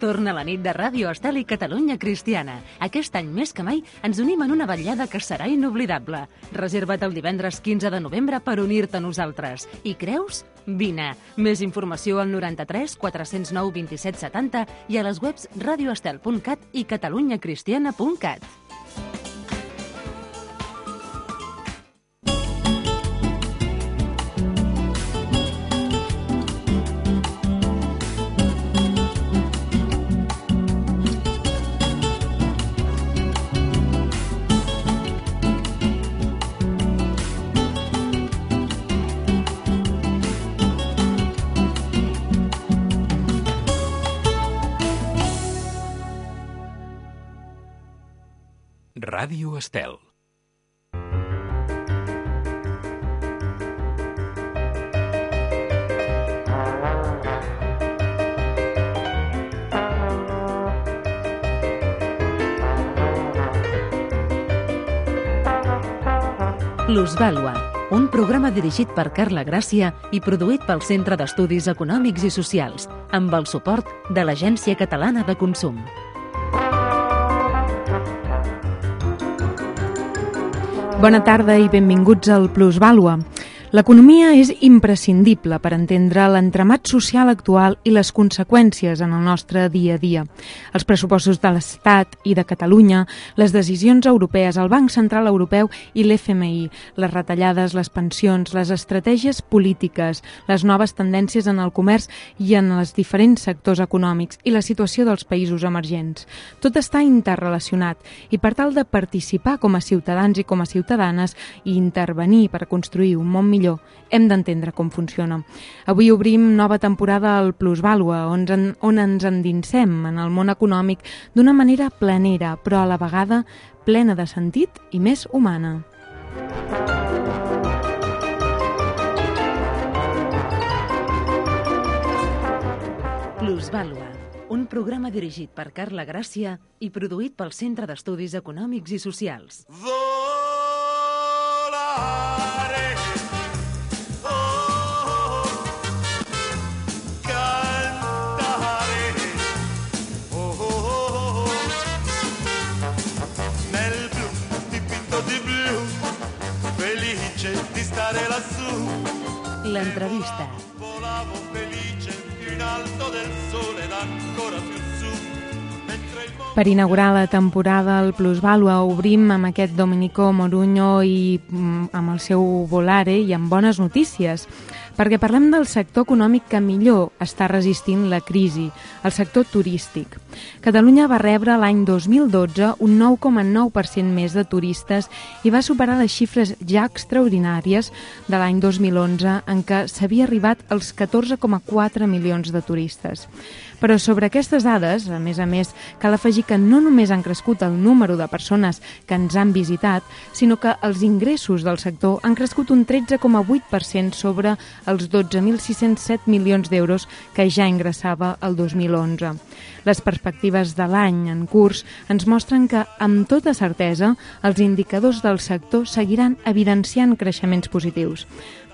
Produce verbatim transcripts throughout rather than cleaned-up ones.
Torna la nit de Ràdio Estel i Catalunya Cristiana. Aquest any més que mai ens unim en una vetllada que serà inoblidable. Reserva't el divendres quinze de novembre per unir-te a nosaltres. I creus? Vine. Més informació al noranta-tres quatre-cents nou vint-i-set setanta i a les webs radioestel punt cat i catalunyacristiana punt cat. Ràdio Estel. Plusvàlua, un programa dirigit per Carla Gràcia i produït pel Centre d'Estudis Econòmics i Socials, amb el suport de l'Agència Catalana de Consum. Bona tarda i benvinguts al Plusvàlua. L'economia és imprescindible per entendre l'entramat social actual i les conseqüències en el nostre dia a dia. Els pressupostos de l'Estat i de Catalunya, les decisions europees, el Banc Central Europeu i l'F M I, les retallades, les pensions, les estratègies polítiques, les noves tendències en el comerç i en els diferents sectors econòmics i la situació dels països emergents. Tot està interrelacionat i per tal de participar com a ciutadans i com a ciutadanes i intervenir per construir un món millor, hem d'entendre com funciona. Avui obrim nova temporada al Plusvàlua, on, on ens endinsem en el món econòmic d'una manera planera, però a la vegada plena de sentit i més humana. Plusvàlua, un programa dirigit per Carla Gràcia i produït pel Centre d'Estudis Econòmics i Socials. L'entrevista. Per inaugurar la temporada al Plusvàlua obrim amb aquest Domenico Moruño i amb el seu Volare i amb bones notícies, perquè parlem del sector econòmic que millor està resistint la crisi, el sector turístic. Catalunya va rebre l'any dos mil dotze un nou coma nou per cent més de turistes i va superar les xifres ja extraordinàries de l'any dos mil onze, en què s'havia arribat als catorze coma quatre milions de turistes. Però sobre aquestes dades, a més a més, cal afegir que no només han crescut el número de persones que ens han visitat, sinó que els ingressos del sector han crescut un tretze coma vuit per cent sobre els dotze mil sis-cents set milions d'euros que ja ingressava el dos mil onze. Les perspectives de l'any en curs ens mostren que, amb tota certesa, els indicadors del sector seguiran evidenciant creixements positius.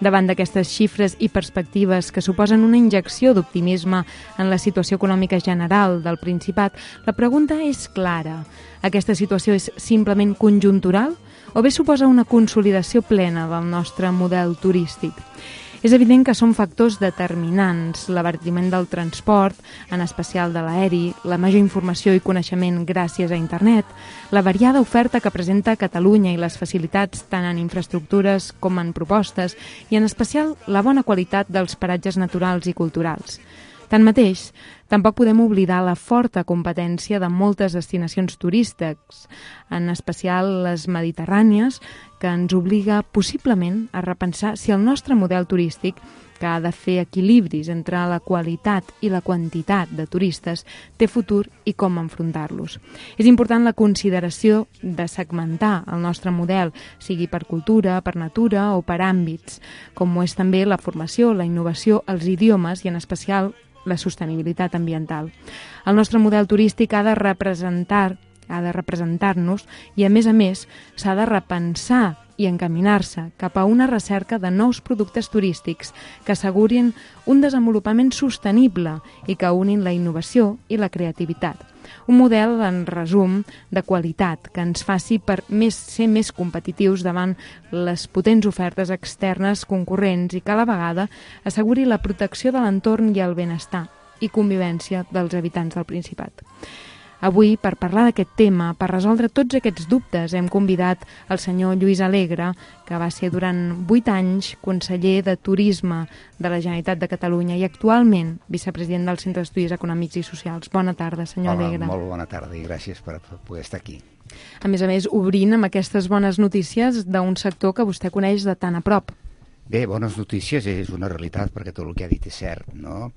Davant d'aquestes xifres i perspectives que suposen una injecció d'optimisme en la situació econòmica general del Principat, la pregunta és clara. Aquesta situació és simplement conjuntural o bé suposa una consolidació plena del nostre model turístic? És evident que són factors determinants, l'abaratiment del transport, en especial de l'aeri, la major informació i coneixement gràcies a internet, la variada oferta que presenta Catalunya i les facilitats tant en infraestructures com en propostes i en especial la bona qualitat dels paratges naturals i culturals. Tanmateix, tampoc podem oblidar la forta competència de moltes destinacions turístiques, en especial les mediterrànies, que ens obliga possiblement a repensar si el nostre model turístic, que ha de fer equilibris entre la qualitat i la quantitat de turistes, té futur i com enfrontar-los. És important la consideració de segmentar el nostre model, sigui per cultura, per natura o per àmbits, com ho és també la formació, la innovació, els idiomes i en especial la sostenibilitat ambiental. El nostre model turístic ha de representar ha de representar-nos i, a més a més, s'ha de repensar i encaminar-se cap a una recerca de nous productes turístics que assegurin un desenvolupament sostenible i que unin la innovació i la creativitat. Un model, en resum, de qualitat que ens faci per més, ser més competitius davant les potents ofertes externes concurrents i que a la vegada asseguri la protecció de l'entorn i el benestar i convivència dels habitants del Principat. Avui, per parlar d'aquest tema, per resoldre tots aquests dubtes, hem convidat el senyor Lluís Alegre, que va ser durant vuit anys conseller de Turisme de la Generalitat de Catalunya i actualment vicepresident del Centre d'Estudis Econòmics i Socials. Bona tarda, senyor Hola, Alegre. Molt bona tarda i gràcies per poder estar aquí. A més a més, obrint amb aquestes bones notícies d'un sector que vostè coneix de tan a prop. Bé, bones notícies és una realitat perquè tot el que ha dit és cert, no?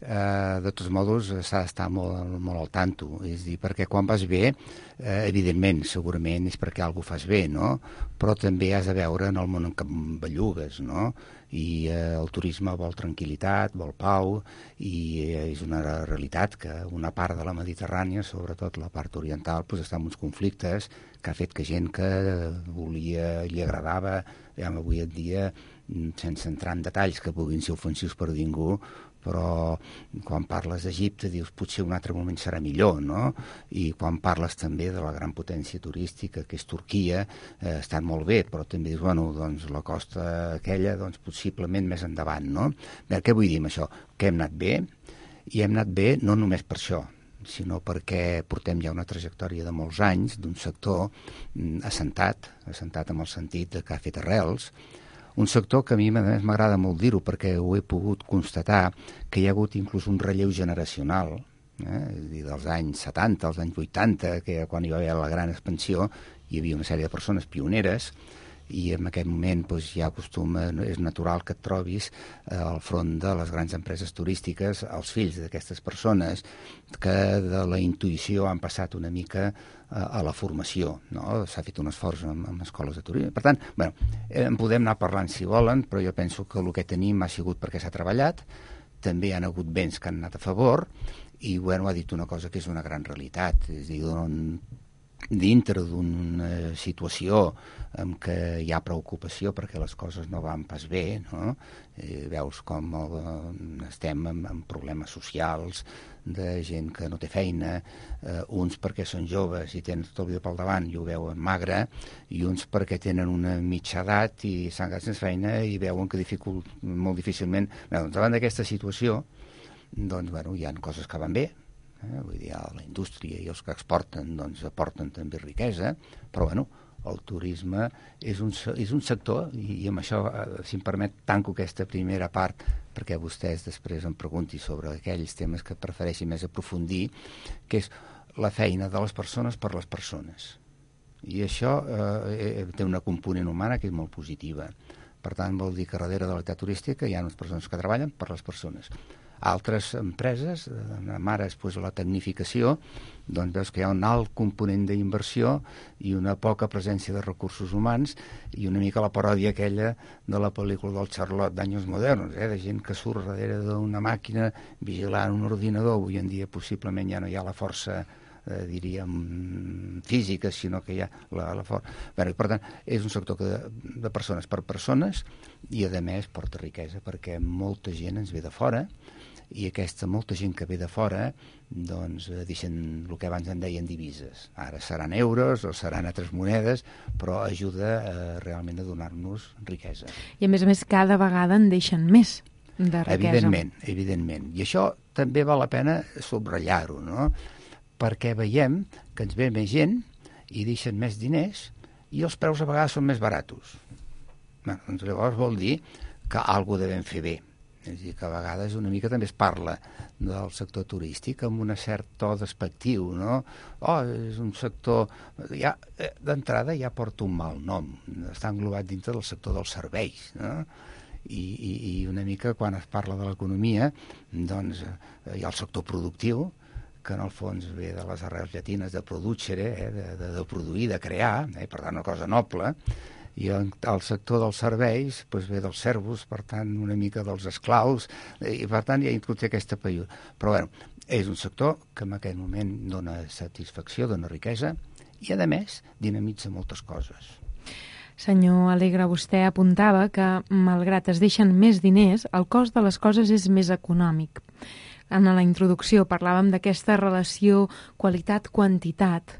Uh, de tots modos s'ha d'estar molt, molt al tanto, és dir, perquè quan vas bé, uh, evidentment, segurament és perquè alguna fas bé, no? Però també has de veure en el món en què bellugues, no? I uh, el turisme vol tranquil·litat, vol pau, i uh, és una realitat que una part de la Mediterrània, sobretot la part oriental, pues, està en uns conflictes que ha fet que gent que volia, li agradava, ja avui en dia, sense entrar en detalls que puguin ser ofensius per ningú, però quan parles d'Egipte dius potser un altre moment serà millor, no? I quan parles també de la gran potència turística que és Turquia, eh, estan molt bé, però també dius, bueno, doncs la costa aquella, doncs possiblement més endavant, no? Bé, què vull dir amb això? Que hem anat bé, i hem anat bé no només per això, sinó perquè portem ja una trajectòria de molts anys d'un sector mm, assentat, assentat amb el sentit de que ha fet arrels, un sector que a mi a més m'agrada molt dir-ho perquè ho he pogut constatar que hi ha hagut inclús un relleu generacional, eh? És a dir, dels anys setanta, als anys vuitanta, que quan hi va haver la gran expansió hi havia una sèrie de persones pioneres i en aquest moment doncs, ja acostuma, és natural que et trobis eh, al front de les grans empreses turístiques els fills d'aquestes persones que de la intuïció han passat una mica a la formació, no? S'ha fet un esforç amb, amb escoles de turisme. Per tant, bueno, en podem anar parlant si volen, però jo penso que el que tenim ha sigut perquè s'ha treballat, també hi ha hagut vents que han anat a favor, i bueno, ha dit una cosa que és una gran realitat, és a dir, on, dintre d'una situació en què hi ha preocupació perquè les coses no van pas bé, no? Eh, veus com el, estem amb, amb problemes socials, de gent que no té feina, eh, uns perquè són joves i tenen tot el dia pel davant i ho veuen magre, i uns perquè tenen una mitja edat i s'han quedat sense feina i veuen que dificult, molt difícilment... Bé, doncs, davant d'aquesta situació, doncs, bueno, hi ha coses que van bé, eh? Vull dir, la indústria i els que exporten doncs, aporten també riquesa, però bueno, el turisme és un, és un sector, i, i amb això, si em permet, tanco aquesta primera part perquè vostès després em preguntin sobre aquells temes que prefereixin més aprofundir, que és la feina de les persones per les persones. I això eh, té una component humana que és molt positiva. Per tant, vol dir que darrere de l'activitat turística hi ha unes persones que treballen per les persones. Altres empreses, amb ara després la tecnificació, doncs veus que hi ha un alt component d'inversió i una poca presència de recursos humans i una mica la paròdia aquella de la pel·lícula del Charlotte d'Anyos Modernos, eh? De gent que surt darrere d'una màquina vigilant un ordinador. Avui en dia possiblement ja no hi ha la força eh, diríem física, sinó que hi ha la, la força. Bé, per tant, és un sector que de, de persones per persones i a més porta riquesa perquè molta gent ens ve de fora i aquesta molta gent que ve de fora doncs deixen el que abans en deien divises. Ara seran euros o seran altres monedes, però ajuda eh, realment a donar-nos riquesa. I a més a més cada vegada en deixen més de riquesa. Evidentment, evidentment. I això també val la pena subratllar-ho, no? Perquè veiem que ens ve més gent i deixen més diners i els preus a vegades són més baratos. Bé, doncs llavors vol dir que alguna cosa devem fer bé. És a dir, que a vegades una mica també es parla del sector turístic amb un cert to despectiu, no? Oh, és un sector... Ja, d'entrada ja porta un mal nom. Està englobat dintre del sector dels serveis, no? I, i, i una mica quan es parla de l'economia, doncs hi ha el sector productiu, que en el fons ve de les arrels llatines de producere, eh, de, de, de produir, de crear, eh, per tant una cosa noble, i el, el sector dels serveis doncs ve dels servos, per tant una mica dels esclaus, i per tant ja inclús aquesta període. Però bueno, És un sector que en aquest moment dona satisfacció, dona riquesa i, a més, dinamitza moltes coses. Senyor Alegre, vostè apuntava que, malgrat es deixen més diners, el cost de les coses és més econòmic. En la introducció parlàvem d'aquesta relació qualitat-quantitat,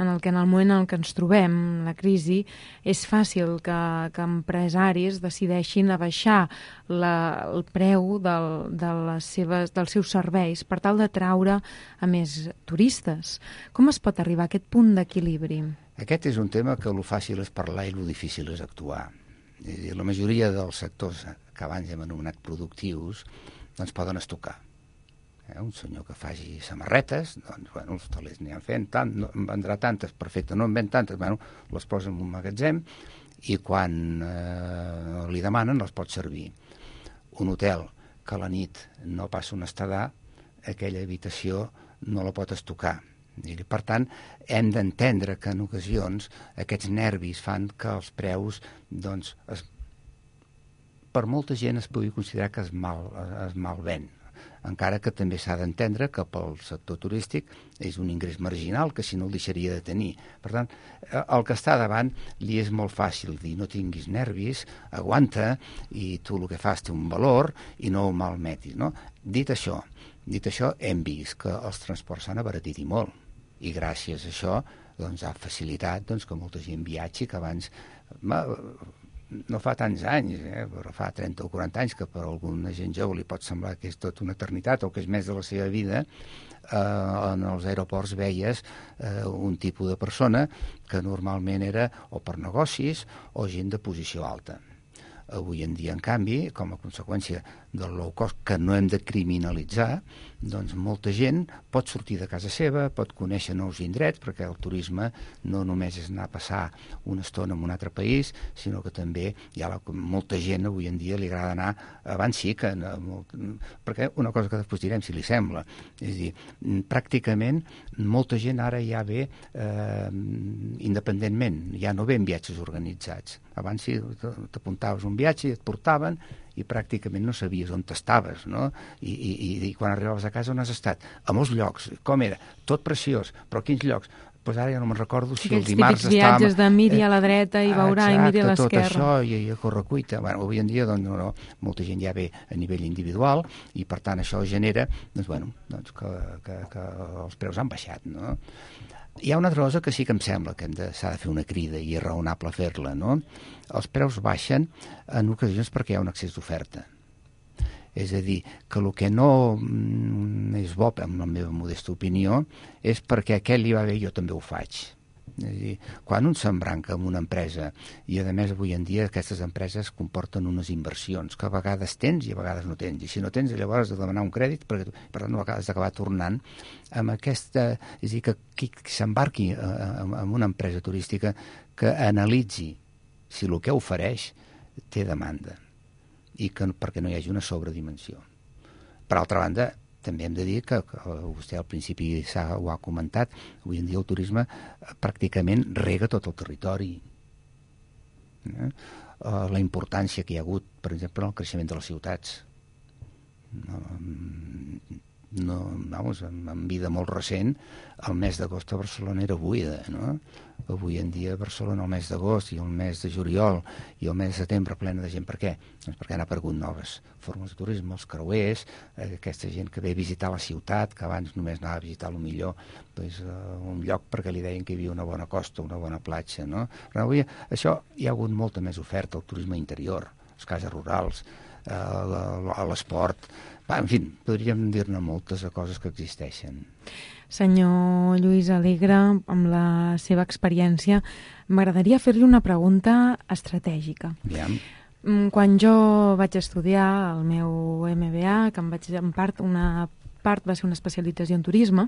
en el que en el moment en què ens trobem, la crisi, és fàcil que, que empresaris decideixin abaixar la, el preu del, de les seves, dels seus serveis per tal d'atraure a més turistes. Com es pot arribar a aquest punt d'equilibri? Aquest és un tema que el fàcil és parlar i el difícil és actuar. És a dir, la majoria dels sectors que abans hem anomenat productius doncs poden estocar. Eh, un senyor que faci samarretes, doncs, bueno, els talers n'hi han fent tant, no, en vendrà tantes, perfecte, no en ven tantes, bueno, les posa en un magatzem i quan eh, li demanen les pot servir. Un hotel que a la nit no passa un estadar, aquella habitació no la pot estocar. I, per tant, hem d'entendre que en ocasions aquests nervis fan que els preus, doncs, es, per molta gent es pugui considerar que es mal, es mal ven. Encara que també s'ha d'entendre que pel sector turístic és un ingrés marginal que si no el deixaria de tenir. Per tant, el que està davant li és molt fàcil dir no tinguis nervis, aguanta i tu el que fas té un valor i no ho malmetis. No? Dit això, dit això, hem vist que els transports s'han abaratit i molt i gràcies a això doncs, ha facilitat doncs, que molta gent viatgi que abans... Ma, no fa tants anys, eh, però fa trenta o quaranta anys que per alguna gent jove li pot semblar que és tot una eternitat o que és més de la seva vida, eh, en els aeroports veies eh, un tipus de persona que normalment era o per negocis o gent de posició alta. Avui en dia, en canvi, com a conseqüència del low cost, que no hem de criminalitzar, doncs molta gent pot sortir de casa seva, pot conèixer nous indrets, perquè el turisme no només és anar a passar una estona en un altre país, sinó que també hi ha la, molta gent avui en dia li agrada anar, abans sí que... Molt, perquè una cosa que després direm, si li sembla, és a dir, pràcticament molta gent ara ja ve eh, independentment, ja no ve en viatges organitzats. Abans sí, t'apuntaves un viatge i et portaven i pràcticament no sabies on estaves, no? I, i, i quan arribaves a casa on has estat? A molts llocs. Com era? Tot preciós. Però quins llocs? Doncs pues ara ja no me'n recordo si aquells el dimarts estàvem... Aquells típics viatges de miri a la dreta i veurà exacte, i miri a l'esquerra. Tot això i, i a correcuita. Bueno, avui en dia doncs, no, no, molta gent ja ve a nivell individual i per tant això genera doncs, bueno, doncs, que, que, que els preus han baixat, no? Hi ha una altra cosa que sí que em sembla que s'ha de, de fer una crida i és raonable fer-la, no? Els preus baixen en ocasions perquè hi ha un excés d'oferta. És a dir, que el que no és bo, en la meva modesta opinió, és perquè aquell li va bé i jo també ho faig. És a dir, quan un s'embranca en una empresa, i a més avui en dia aquestes empreses comporten unes inversions que a vegades tens i a vegades no tens, i si no tens llavors has de demanar un crèdit perquè per tant no has d'acabar tornant amb aquesta, és a dir, que qui s'embarqui en una empresa turística que analitzi si el que ofereix té demanda i que perquè no hi hagi una sobredimensió. Per altra banda, també hem de dir que, que vostè al principi ho ha comentat, avui en dia el turisme pràcticament rega tot el territori. Eh? La importància que hi ha hagut, per exemple, en el creixement de les ciutats. No, no, vamos, en, en vida molt recent, el mes d'agost a Barcelona era buida, no? Avui en dia a Barcelona el mes d'agost i el mes de juliol i el mes de setembre plena de gent. Per què? Doncs perquè han aparegut noves formes de turisme, els creuers, eh, aquesta gent que ve a visitar la ciutat, que abans només anava a visitar el millor doncs, eh, un lloc perquè li deien que hi havia una bona costa, una bona platja, no? Però avui això hi ha hagut molta més oferta, el turisme interior, les cases rurals, eh, l'esport, en fi, podríem dir-ne moltes coses que existeixen. Senyor Lluís Alegre, amb la seva experiència, m'agradaria fer-li una pregunta estratègica. Bien. Quan jo vaig estudiar el meu M B A, que em vaig en part una part va ser una especialització en turisme,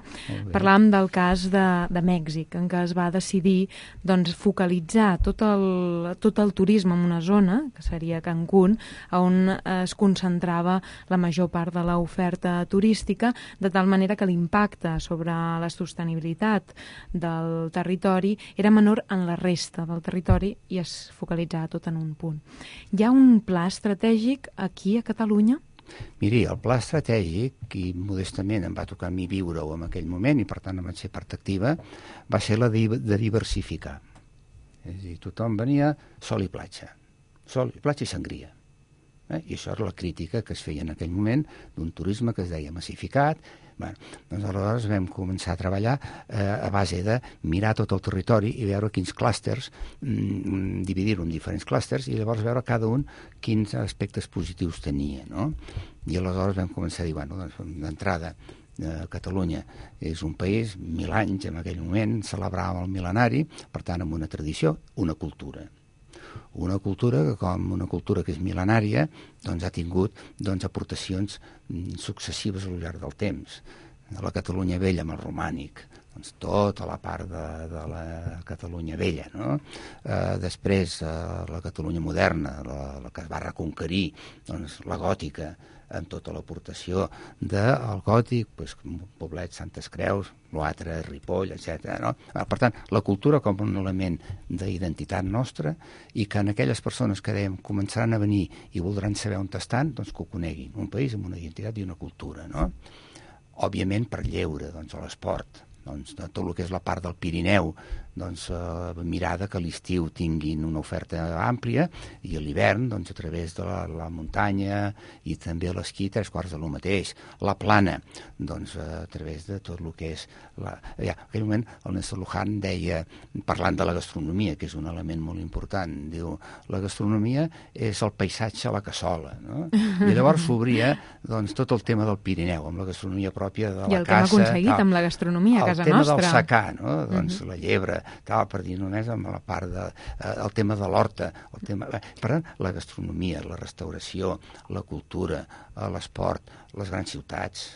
parlàvem del cas de, de Mèxic, en què es va decidir doncs, focalitzar tot el, tot el turisme en una zona, que seria Cancún, on es concentrava la major part de l'oferta turística, de tal manera que l'impacte sobre la sostenibilitat del territori era menor en la resta del territori i es focalitzava tot en un punt. Hi ha un pla estratègic aquí a Catalunya? Miri, el pla estratègic, i modestament em va tocar a mi viure-ho en aquell moment, i per tant em vaig ser part activa, va ser la de, de diversificar. És a dir, tothom venia sol i platja. Sol i platja i sangria. Eh? I això era la crítica que es feia en aquell moment d'un turisme que es deia massificat. Bueno, doncs aleshores vam començar a treballar eh, a base de mirar tot el territori i veure quins clústers, mm, dividir-ho en diferents clústers i llavors veure cada un quins aspectes positius tenia, no? I aleshores vam començar a dir, bueno, doncs, d'entrada, eh, Catalunya és un país, mil anys en aquell moment, celebràvem el mil·lenari, per tant, amb una tradició, una cultura. Una cultura que, com una cultura que és mil·lenària, doncs ha tingut doncs, aportacions successives al llarg del temps. La Catalunya vella amb el romànic, doncs, tota la part de, de la Catalunya vella, no? Eh, després, eh, la Catalunya moderna, la, la que es va reconquerir, doncs, la gòtica, amb tota l'aportació del gòtic, doncs, Poblet, Santes Creus, l'altre, Ripoll, etcètera. No? Per tant, la cultura com un element d'identitat nostra i que en aquelles persones que dèiem començaran a venir i voldran saber on estan, doncs que ho coneguin. Un país amb una identitat i una cultura, no? Òbviament per lleure, doncs, a l'esport, doncs, de tot el que és la part del Pirineu, doncs, eh, mirada que a l'estiu tinguin una oferta àmplia i a l'hivern, doncs, a través de la, la muntanya i també a l'esquí, tres quarts de lo mateix. La plana, doncs, a través de tot el que és... La... Ja, en aquell moment el Néstor Luján deia, parlant de la gastronomia, que és un element molt important, diu, la gastronomia és el paisatge a la cassola, no? I llavors s'obria, doncs, tot el tema del Pirineu, amb la gastronomia pròpia de la casa. I el que hem aconseguit tal, amb la gastronomia a casa nostra. El tema del secà, no? Doncs uh -huh. la llebre, tal, per dir només amb la part de... Eh, el tema de l'horta, el tema... Per tant, la gastronomia, la restauració, la cultura, eh, l'esport, les grans ciutats,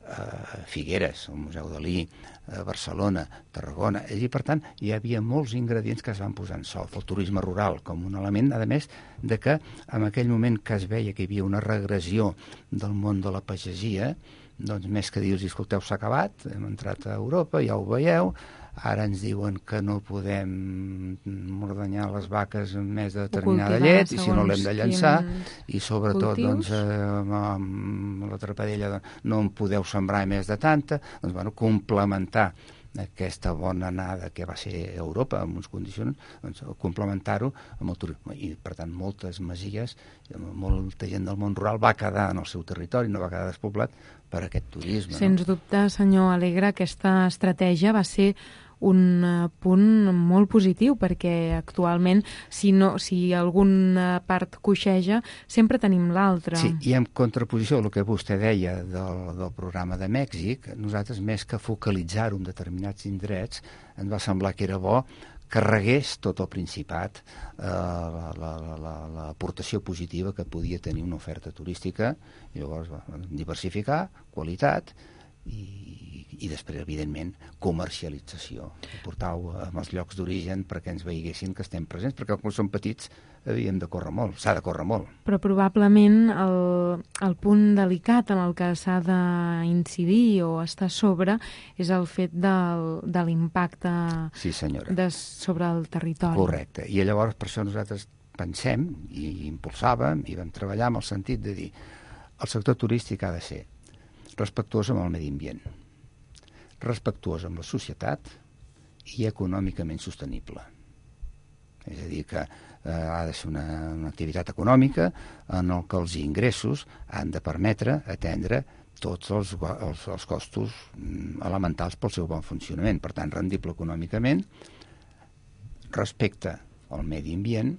eh, Figueres, el Museu Dalí, eh, Barcelona, Tarragona... I, per tant, hi havia molts ingredients que es van posar en solf. El turisme rural com un element, a més, de que en aquell moment que es veia que hi havia una regressió del món de la pagesia, doncs més que dir-los, escolteu, s'ha acabat, hem entrat a Europa, ja ho veieu, ara ens diuen que no podem ordenyar les vaques amb més de determinada llet, i si no l'hem de llançar, i sobretot doncs, eh, amb la trapadella doncs, no en podeu sembrar més de tanta, doncs bueno, complementar aquesta bona anada que va ser Europa en uns condicions, doncs, complementar-ho amb el turisme. I, per tant, moltes masies, molta gent del món rural va quedar en el seu territori, no va quedar despoblat per aquest turisme. Sens no? dubte, senyor Alegre, aquesta estratègia va ser un punt molt positiu, perquè actualment, si, no, si alguna part coixeja, sempre tenim l'altra. Sí, i en contraposició al que vostè deia del, del programa de Mèxic, nosaltres, més que focalitzar-ho en determinats indrets, ens va semblar que era bo que regués tot el Principat eh, l'aportació positiva que podia tenir una oferta turística, i llavors va, diversificar, qualitat, i, i després, evidentment, comercialització. Portar-ho als llocs d'origen perquè ens veiguessin que estem presents, perquè quan som petits havíem de córrer molt, s'ha de córrer molt. Però probablement el, el punt delicat en el que s'ha d'incidir o estar sobre és el fet del, de l'impacte sí, de, sobre el territori. Correcte. I llavors per això nosaltres pensem i impulsàvem i vam treballar amb el sentit de dir el sector turístic ha de ser respectuós amb el medi ambient, respectuós amb la societat i econòmicament sostenible. És a dir, que eh, ha de ser una, una activitat econòmica en el que els ingressos han de permetre atendre tots els, els, els costos elementals pel seu bon funcionament. Per tant, rendible econòmicament, respecte al medi ambient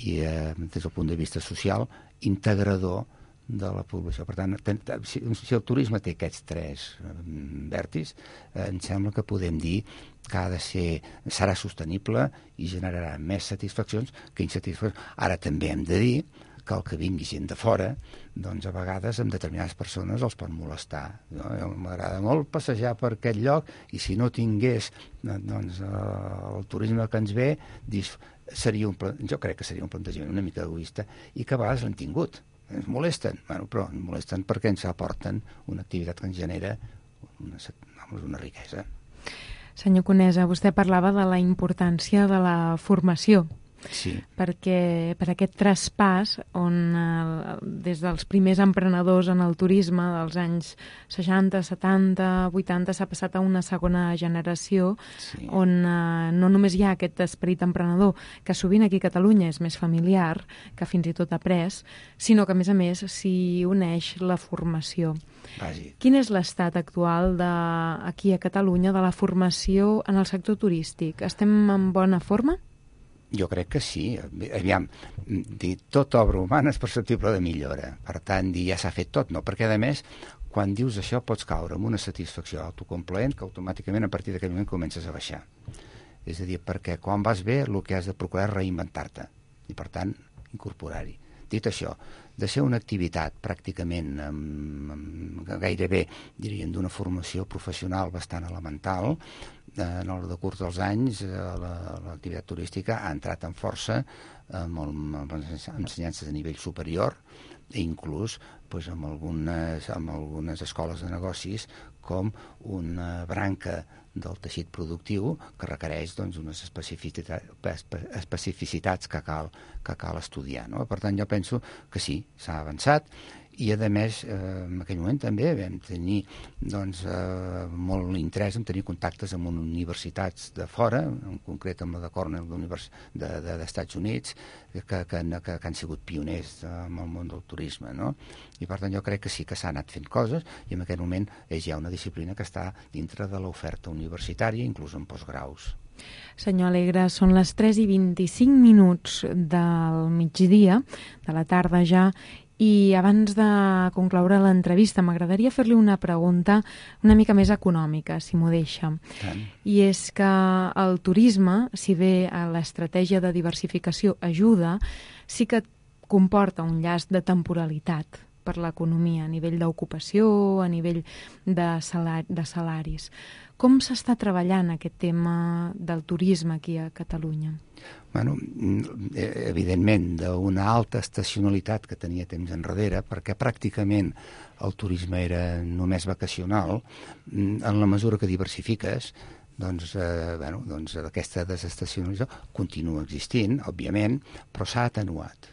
i, eh, des del punt de vista social, integrador de la població. Per tant, si, si el turisme té aquests tres vèrtits, eh, em sembla que podem dir que ha de ser, serà sostenible i generarà més satisfaccions que insatisfaccions. Ara també hem de dir que el que vingui gent de fora, doncs a vegades amb determinades persones els pot molestar. No? M'agrada molt passejar per aquest lloc i si no tingués doncs, el turisme que ens ve, seria un, jo crec que seria un plantejament una mica egoista i que a vegades l'han tingut. Ens molesten, bueno, però ens molesten perquè ens aporten una activitat que ens genera una, una riquesa. Senyor Conesa, vostè parlava de la importància de la formació Sí. perquè per aquest traspàs on eh, des dels primers emprenedors en el turisme dels anys seixanta, setanta, vuitanta s'ha passat a una segona generació, sí. on eh, no només hi ha aquest esperit emprenedor que sovint aquí a Catalunya és més familiar, que fins i tot après, sinó que a més a més s'hi uneix la formació. Bàsic. Quin és l'estat actual de, aquí a Catalunya de la formació en el sector turístic? Estem en bona forma? Jo crec que sí. Aviam, dir, tota obra humana és perceptible de millora. Per tant, dir ja s'ha fet tot, no? Perquè, a més, quan dius això pots caure en una satisfacció autocomplaent que automàticament a partir d'aquell moment comences a baixar. És a dir, perquè quan vas bé el que has de procurar és reinventar-te i, per tant, incorporar-hi. Dit això, de ser una activitat pràcticament amb, amb, gairebé, diríem, d'una formació professional bastant elemental, eh, en el decurs dels anys eh, l'activitat turística ha entrat en força amb, amb ensenyances de nivell superior i inclús pues, amb, algunes, amb algunes escoles de negocis com una branca del teixit productiu que requereix doncs, unes especificitats, especificitats que cal, que cal estudiar. No? Per tant, jo penso que sí, s'ha avançat i, a més, eh, en aquell moment també vam tenir doncs, eh, molt interès en tenir contactes amb universitats de fora, en concret amb la de Cornell d'Estats de, de, de Units, que, que, que, que han sigut pioners en el món del turisme. No? I, per tant, jo crec que sí que s'ha anat fent coses i en aquest moment és ja una disciplina que està dintre de l'oferta universitària, inclús en postgraus. Senyor Alegre, són les tres i vint-i-cinc minuts del migdia, de la tarda ja, i abans de concloure l'entrevista m'agradaria fer-li una pregunta una mica més econòmica, si m'ho deixa. Tant. I és que el turisme, si bé l'estratègia de diversificació ajuda, sí que comporta un llast de temporalitat per l'economia, a nivell d'ocupació, a nivell de, salari, de salaris. Com s'està treballant aquest tema del turisme aquí a Catalunya? Bueno, evidentment, d'una alta estacionalitat que tenia temps enrere, perquè pràcticament el turisme era només vacacional, en la mesura que diversifiques, doncs, eh, bueno, doncs aquesta desestacionalització continua existint, òbviament, però s'ha atenuat.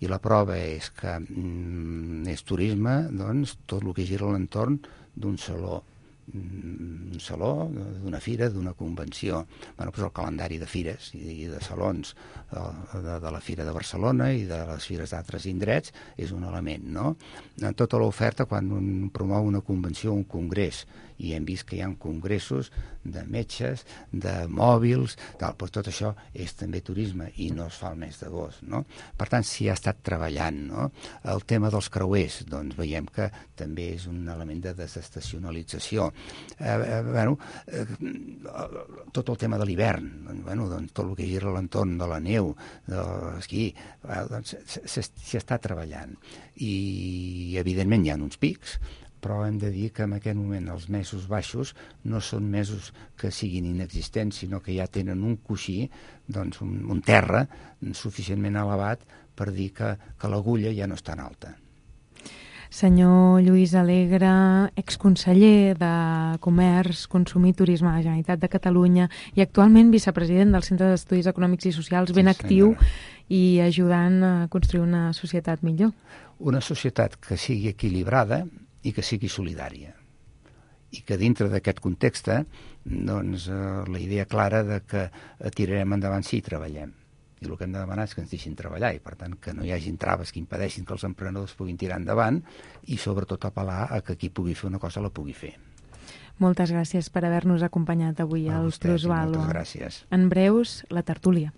I la prova és que mm, és turisme, doncs, tot el que gira a l'entorn d'un saló, un saló, d'una fira, d'una convenció. Bueno, doncs el calendari de fires i de salons de, de la Fira de Barcelona i de les fires d'altres indrets és un element, no? En tota l'oferta, quan un promou una convenció o un congrés, i hem vist que hi ha congressos de metges, de mòbils, tal, doncs tot això és també turisme i no es fa el mes d'agost, no? Per tant, s'hi ha estat treballant, no? El tema dels creuers, doncs veiem que també és un element de desestacionalització. Eh, eh, bueno, eh, tot el tema de l'hivern, bueno, doncs, tot el que gira a l'entorn de la neu, de l'esquí, eh, doncs, s'hi està treballant. I, evidentment, hi ha uns pics, però hem de dir que en aquest moment els mesos baixos no són mesos que siguin inexistents, sinó que ja tenen un coixí, doncs un, un terra suficientment elevat per dir que, que l'agulla ja no és tan alta. Senyor Lluís Alegre, exconseller de Comerç, Consum i Turisme de la Generalitat de Catalunya i actualment vicepresident del Centre d'Estudis Econòmics i Socials, ben sí, actiu i ajudant a construir una societat millor. Una societat que sigui equilibrada i que sigui solidària. I que dintre d'aquest context, doncs, la idea clara de que tirarem endavant si hi treballem. I el que hem de demanar és que ens deixin treballar i, per tant, que no hi hagin traves que impedeixin que els emprenedors puguin tirar endavant i, sobretot, apel·lar a que qui pugui fer una cosa la pugui fer. Moltes gràcies per haver-nos acompanyat avui al Plusvàlua. Moltes gràcies. En breus, la tertúlia.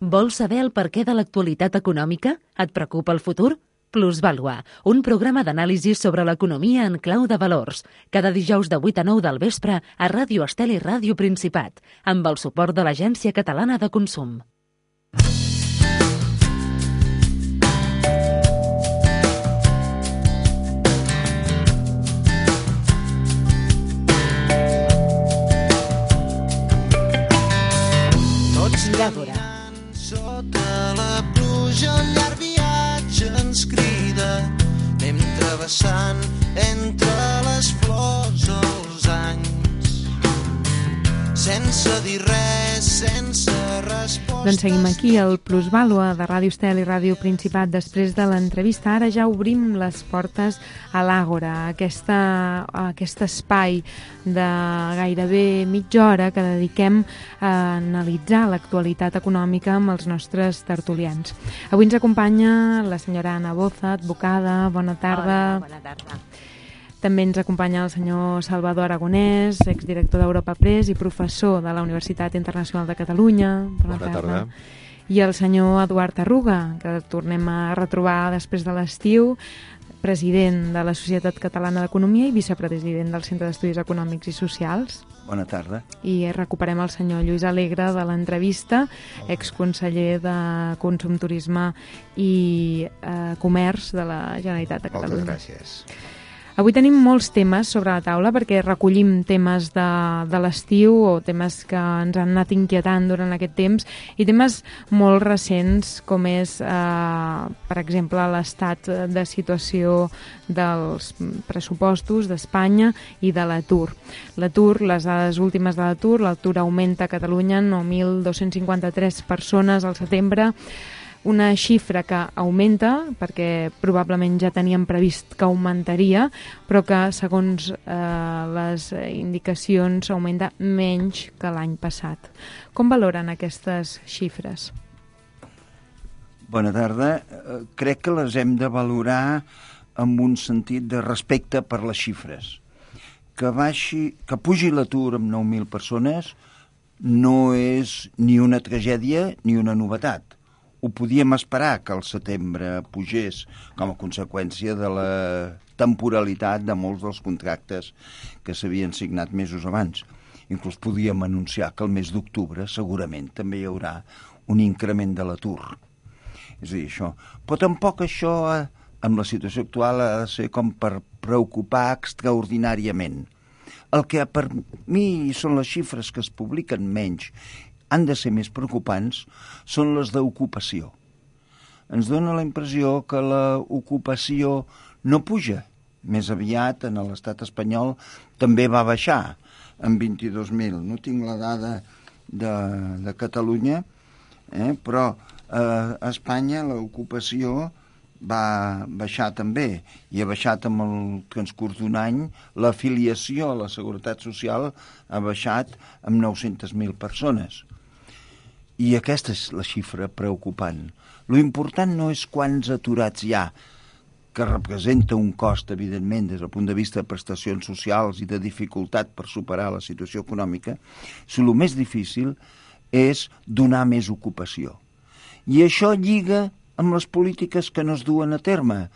Vols saber el perquè de l'actualitat econòmica? Et preocupa el futur? Plusvàlua, un programa d'anàlisi sobre l'economia en clau de valors. Cada dijous de vuit a nou del vespre a Ràdio Estel i Ràdio Principat, amb el suport de l'Agència Catalana de Consum. Tots lladora. Sota la pluja un llarg viatge ens crida, anem travessant entre les flors els anys, sense dir res només sense respostes. Doncs seguim aquí, al Plusvàlua de Ràdio Estel i Ràdio Principat. Després de l'entrevista, ara ja obrim les portes a l'Àgora, aquesta, a aquest espai de gairebé mitja hora que dediquem a analitzar l'actualitat econòmica amb els nostres tertulians. Avui ens acompanya la senyora Anna Boza, advocada. Bona tarda. Hola, bona tarda. També ens acompanya el senyor Salvador Aragonès, exdirector d'Europa Press i professor de la Universitat Internacional de Catalunya. Bona, Bona tarda. tarda. I el senyor Eduard Arruga, que tornem a retrobar després de l'estiu, president de la Societat Catalana d'Economia i vicepresident del Centre d'Estudis Econòmics i Socials. Bona tarda. I recuperem el senyor Lluís Alegre de l'entrevista, exconseller de Consum, Turisme i eh, Comerç de la Generalitat de Catalunya. Moltes gràcies. Avui tenim molts temes sobre la taula perquè recollim temes de, de l'estiu o temes que ens han anat inquietant durant aquest temps i temes molt recents com és, eh, per exemple, l'estat de situació dels pressupostos d'Espanya i de l'atur. L'atur, les dades últimes de l'atur, l'atur augmenta a Catalunya nou mil dos-cents cinquanta-tres persones al setembre, una xifra que augmenta, perquè probablement ja teníem previst que augmentaria, però que, segons eh, les indicacions, augmenta menys que l'any passat. Com valoren aquestes xifres? Bona tarda. Eh, crec que les hem de valorar amb un sentit de respecte per les xifres. Que, baixi, que pugi l'atur amb nou mil persones no és ni una tragèdia ni una novetat. Ho podíem esperar que el setembre pugés com a conseqüència de la temporalitat de molts dels contractes que s'havien signat mesos abans. Inclús podíem anunciar que el mes d'octubre segurament també hi haurà un increment de l'atur. És a dir, això. Però tampoc això, amb la situació actual, ha de ser com per preocupar extraordinàriament. El que per mi són les xifres que es publiquen menys han de ser més preocupants són les d'ocupació. Ens dona la impressió que l'ocupació no puja. Més aviat, en l'estat espanyol, també va baixar en vint-i-dos mil. No tinc la dada de, de Catalunya, eh? però eh, a Espanya l'ocupació va baixar també, i ha baixat amb el transcurs d'un any. L'afiliació a la Seguretat Social ha baixat amb nou-centes mil persones. I aquesta és la xifra preocupant. Lo important no és quants aturats hi ha, que representa un cost, evidentment, des del punt de vista de prestacions socials i de dificultat per superar la situació econòmica, sinó el més difícil és donar més ocupació. I això lliga amb les polítiques que no es duen a terme.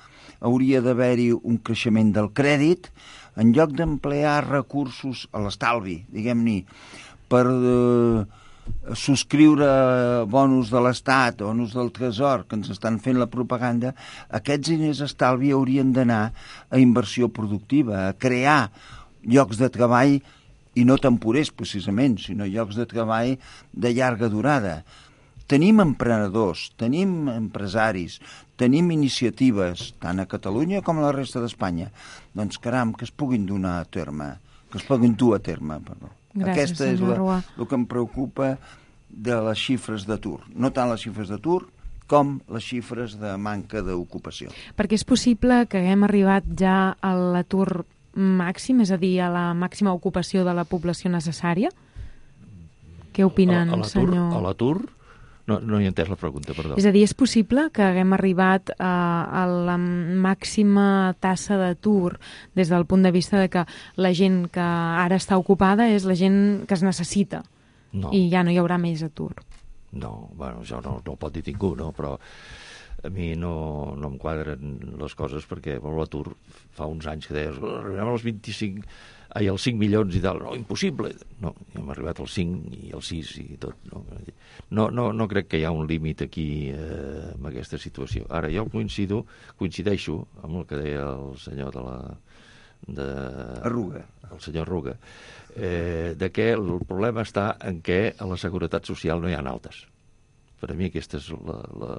Hauria d'haver-hi un creixement del crèdit en lloc d'emplear recursos a l'estalvi, diguem-ne, per eh, subscriure bonus de l'Estat, bonus del Tresor, que ens estan fent la propaganda. Aquests diners estalvi haurien d'anar a inversió productiva, a crear llocs de treball, i no temporers precisament, sinó llocs de treball de llarga durada. Tenim emprenedors, tenim empresaris, tenim iniciatives, tant a Catalunya com a la resta d'Espanya. Doncs caram, que es puguin donar a terme, que es puguin dur a terme, perdó. Gràcies, Aquesta és senyor Rua. la, el que em preocupa de les xifres d'atur. No tant les xifres d'atur com les xifres de manca d'ocupació. Perquè és possible que haguem arribat ja a l'atur màxim, és a dir, a la màxima ocupació de la població necessària? Què opinen, a, a senyor? A l'atur? No, no hi he entès la pregunta, perdó. És a dir, és possible que haguem arribat a, a la màxima tassa d'atur des del punt de vista de que la gent que ara està ocupada és la gent que es necessita No. i ja no hi haurà més atur. No, bueno, això no, no ho pot dir ningú, no? Però a mi no, no em quadren les coses perquè bueno, l'atur fa uns anys que deies arribem als vint-i-cinc, ai, als cinc milions i tal, no, impossible. No, hem arribat als cinc i als sis i tot. No, no, no, no crec que hi ha un límit aquí eh, amb aquesta situació. Ara, jo coincido, coincideixo amb el que deia el senyor de la... De, Arruga. el senyor Arruga, eh, de que el problema està en què a la Seguretat Social no hi ha altes. Per a mi aquesta és la, la,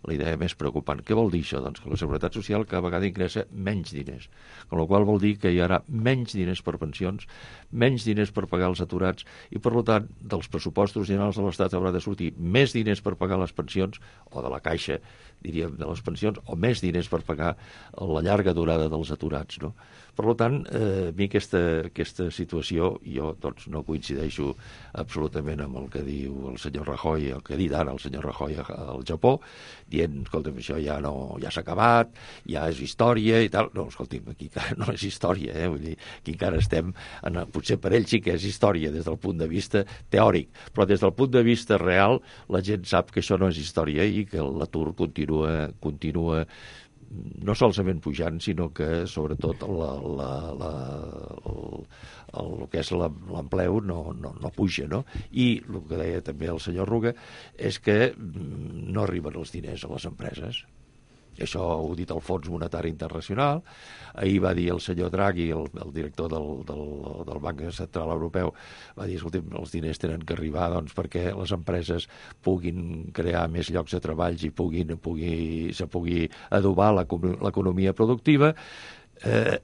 la idea més preocupant. Què vol dir això? Doncs que la Seguretat Social cada vegada ingressa menys diners, amb la qual vol dir que hi haurà menys diners per pensions, menys diners per pagar els aturats i, per tant, dels pressupostos generals de l'Estat haurà de sortir més diners per pagar les pensions, o de la caixa, diríem, de les pensions, o més diners per pagar la llarga durada dels aturats, no? Per tant, eh, a mi aquesta, aquesta situació, jo doncs, no coincideixo absolutament amb el que diu el senyor Rajoy, el que ha dit ara el senyor Rajoy al Japó, dient, escolta'm, això ja no, ja s'ha acabat, ja és història i tal. No, escolta'm, aquí encara no és història, eh? Vull dir, aquí encara estem, en, potser per ell sí que és història des del punt de vista teòric, però des del punt de vista real la gent sap que això no és història i que l'atur continua, continua no solament pujant, sinó que sobretot la, la, la, el, el, el que és l'empleu no, no, no puja, no? I el que deia també el senyor Ruga és que no arriben els diners a les empreses. Això ho ha dit el Fons Monetari Internacional. Ahir va dir el senyor Draghi, el, el director del, del, del Banc Central Europeu, va dir, escolta'm, els diners tenen que arribar doncs, perquè les empreses puguin crear més llocs de treball i puguin, pugui, se pugui adobar l'economia productiva, eh,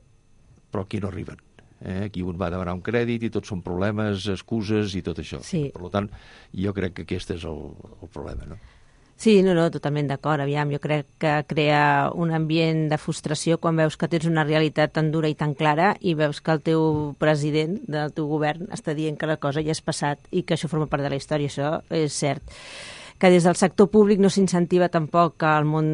però aquí no arriben. Eh? Aquí un va demanar un crèdit i tots són problemes, excuses i tot això. Sí. Per tant, jo crec que aquest és el, el problema, no? Sí, no, no, totalment d'acord. Aviam, jo crec que crea un ambient de frustració quan veus que tens una realitat tan dura i tan clara i veus que el teu president del teu govern està dient que la cosa ja és passat i que això forma part de la història. Això és cert. Que des del sector públic no s'incentiva tampoc al món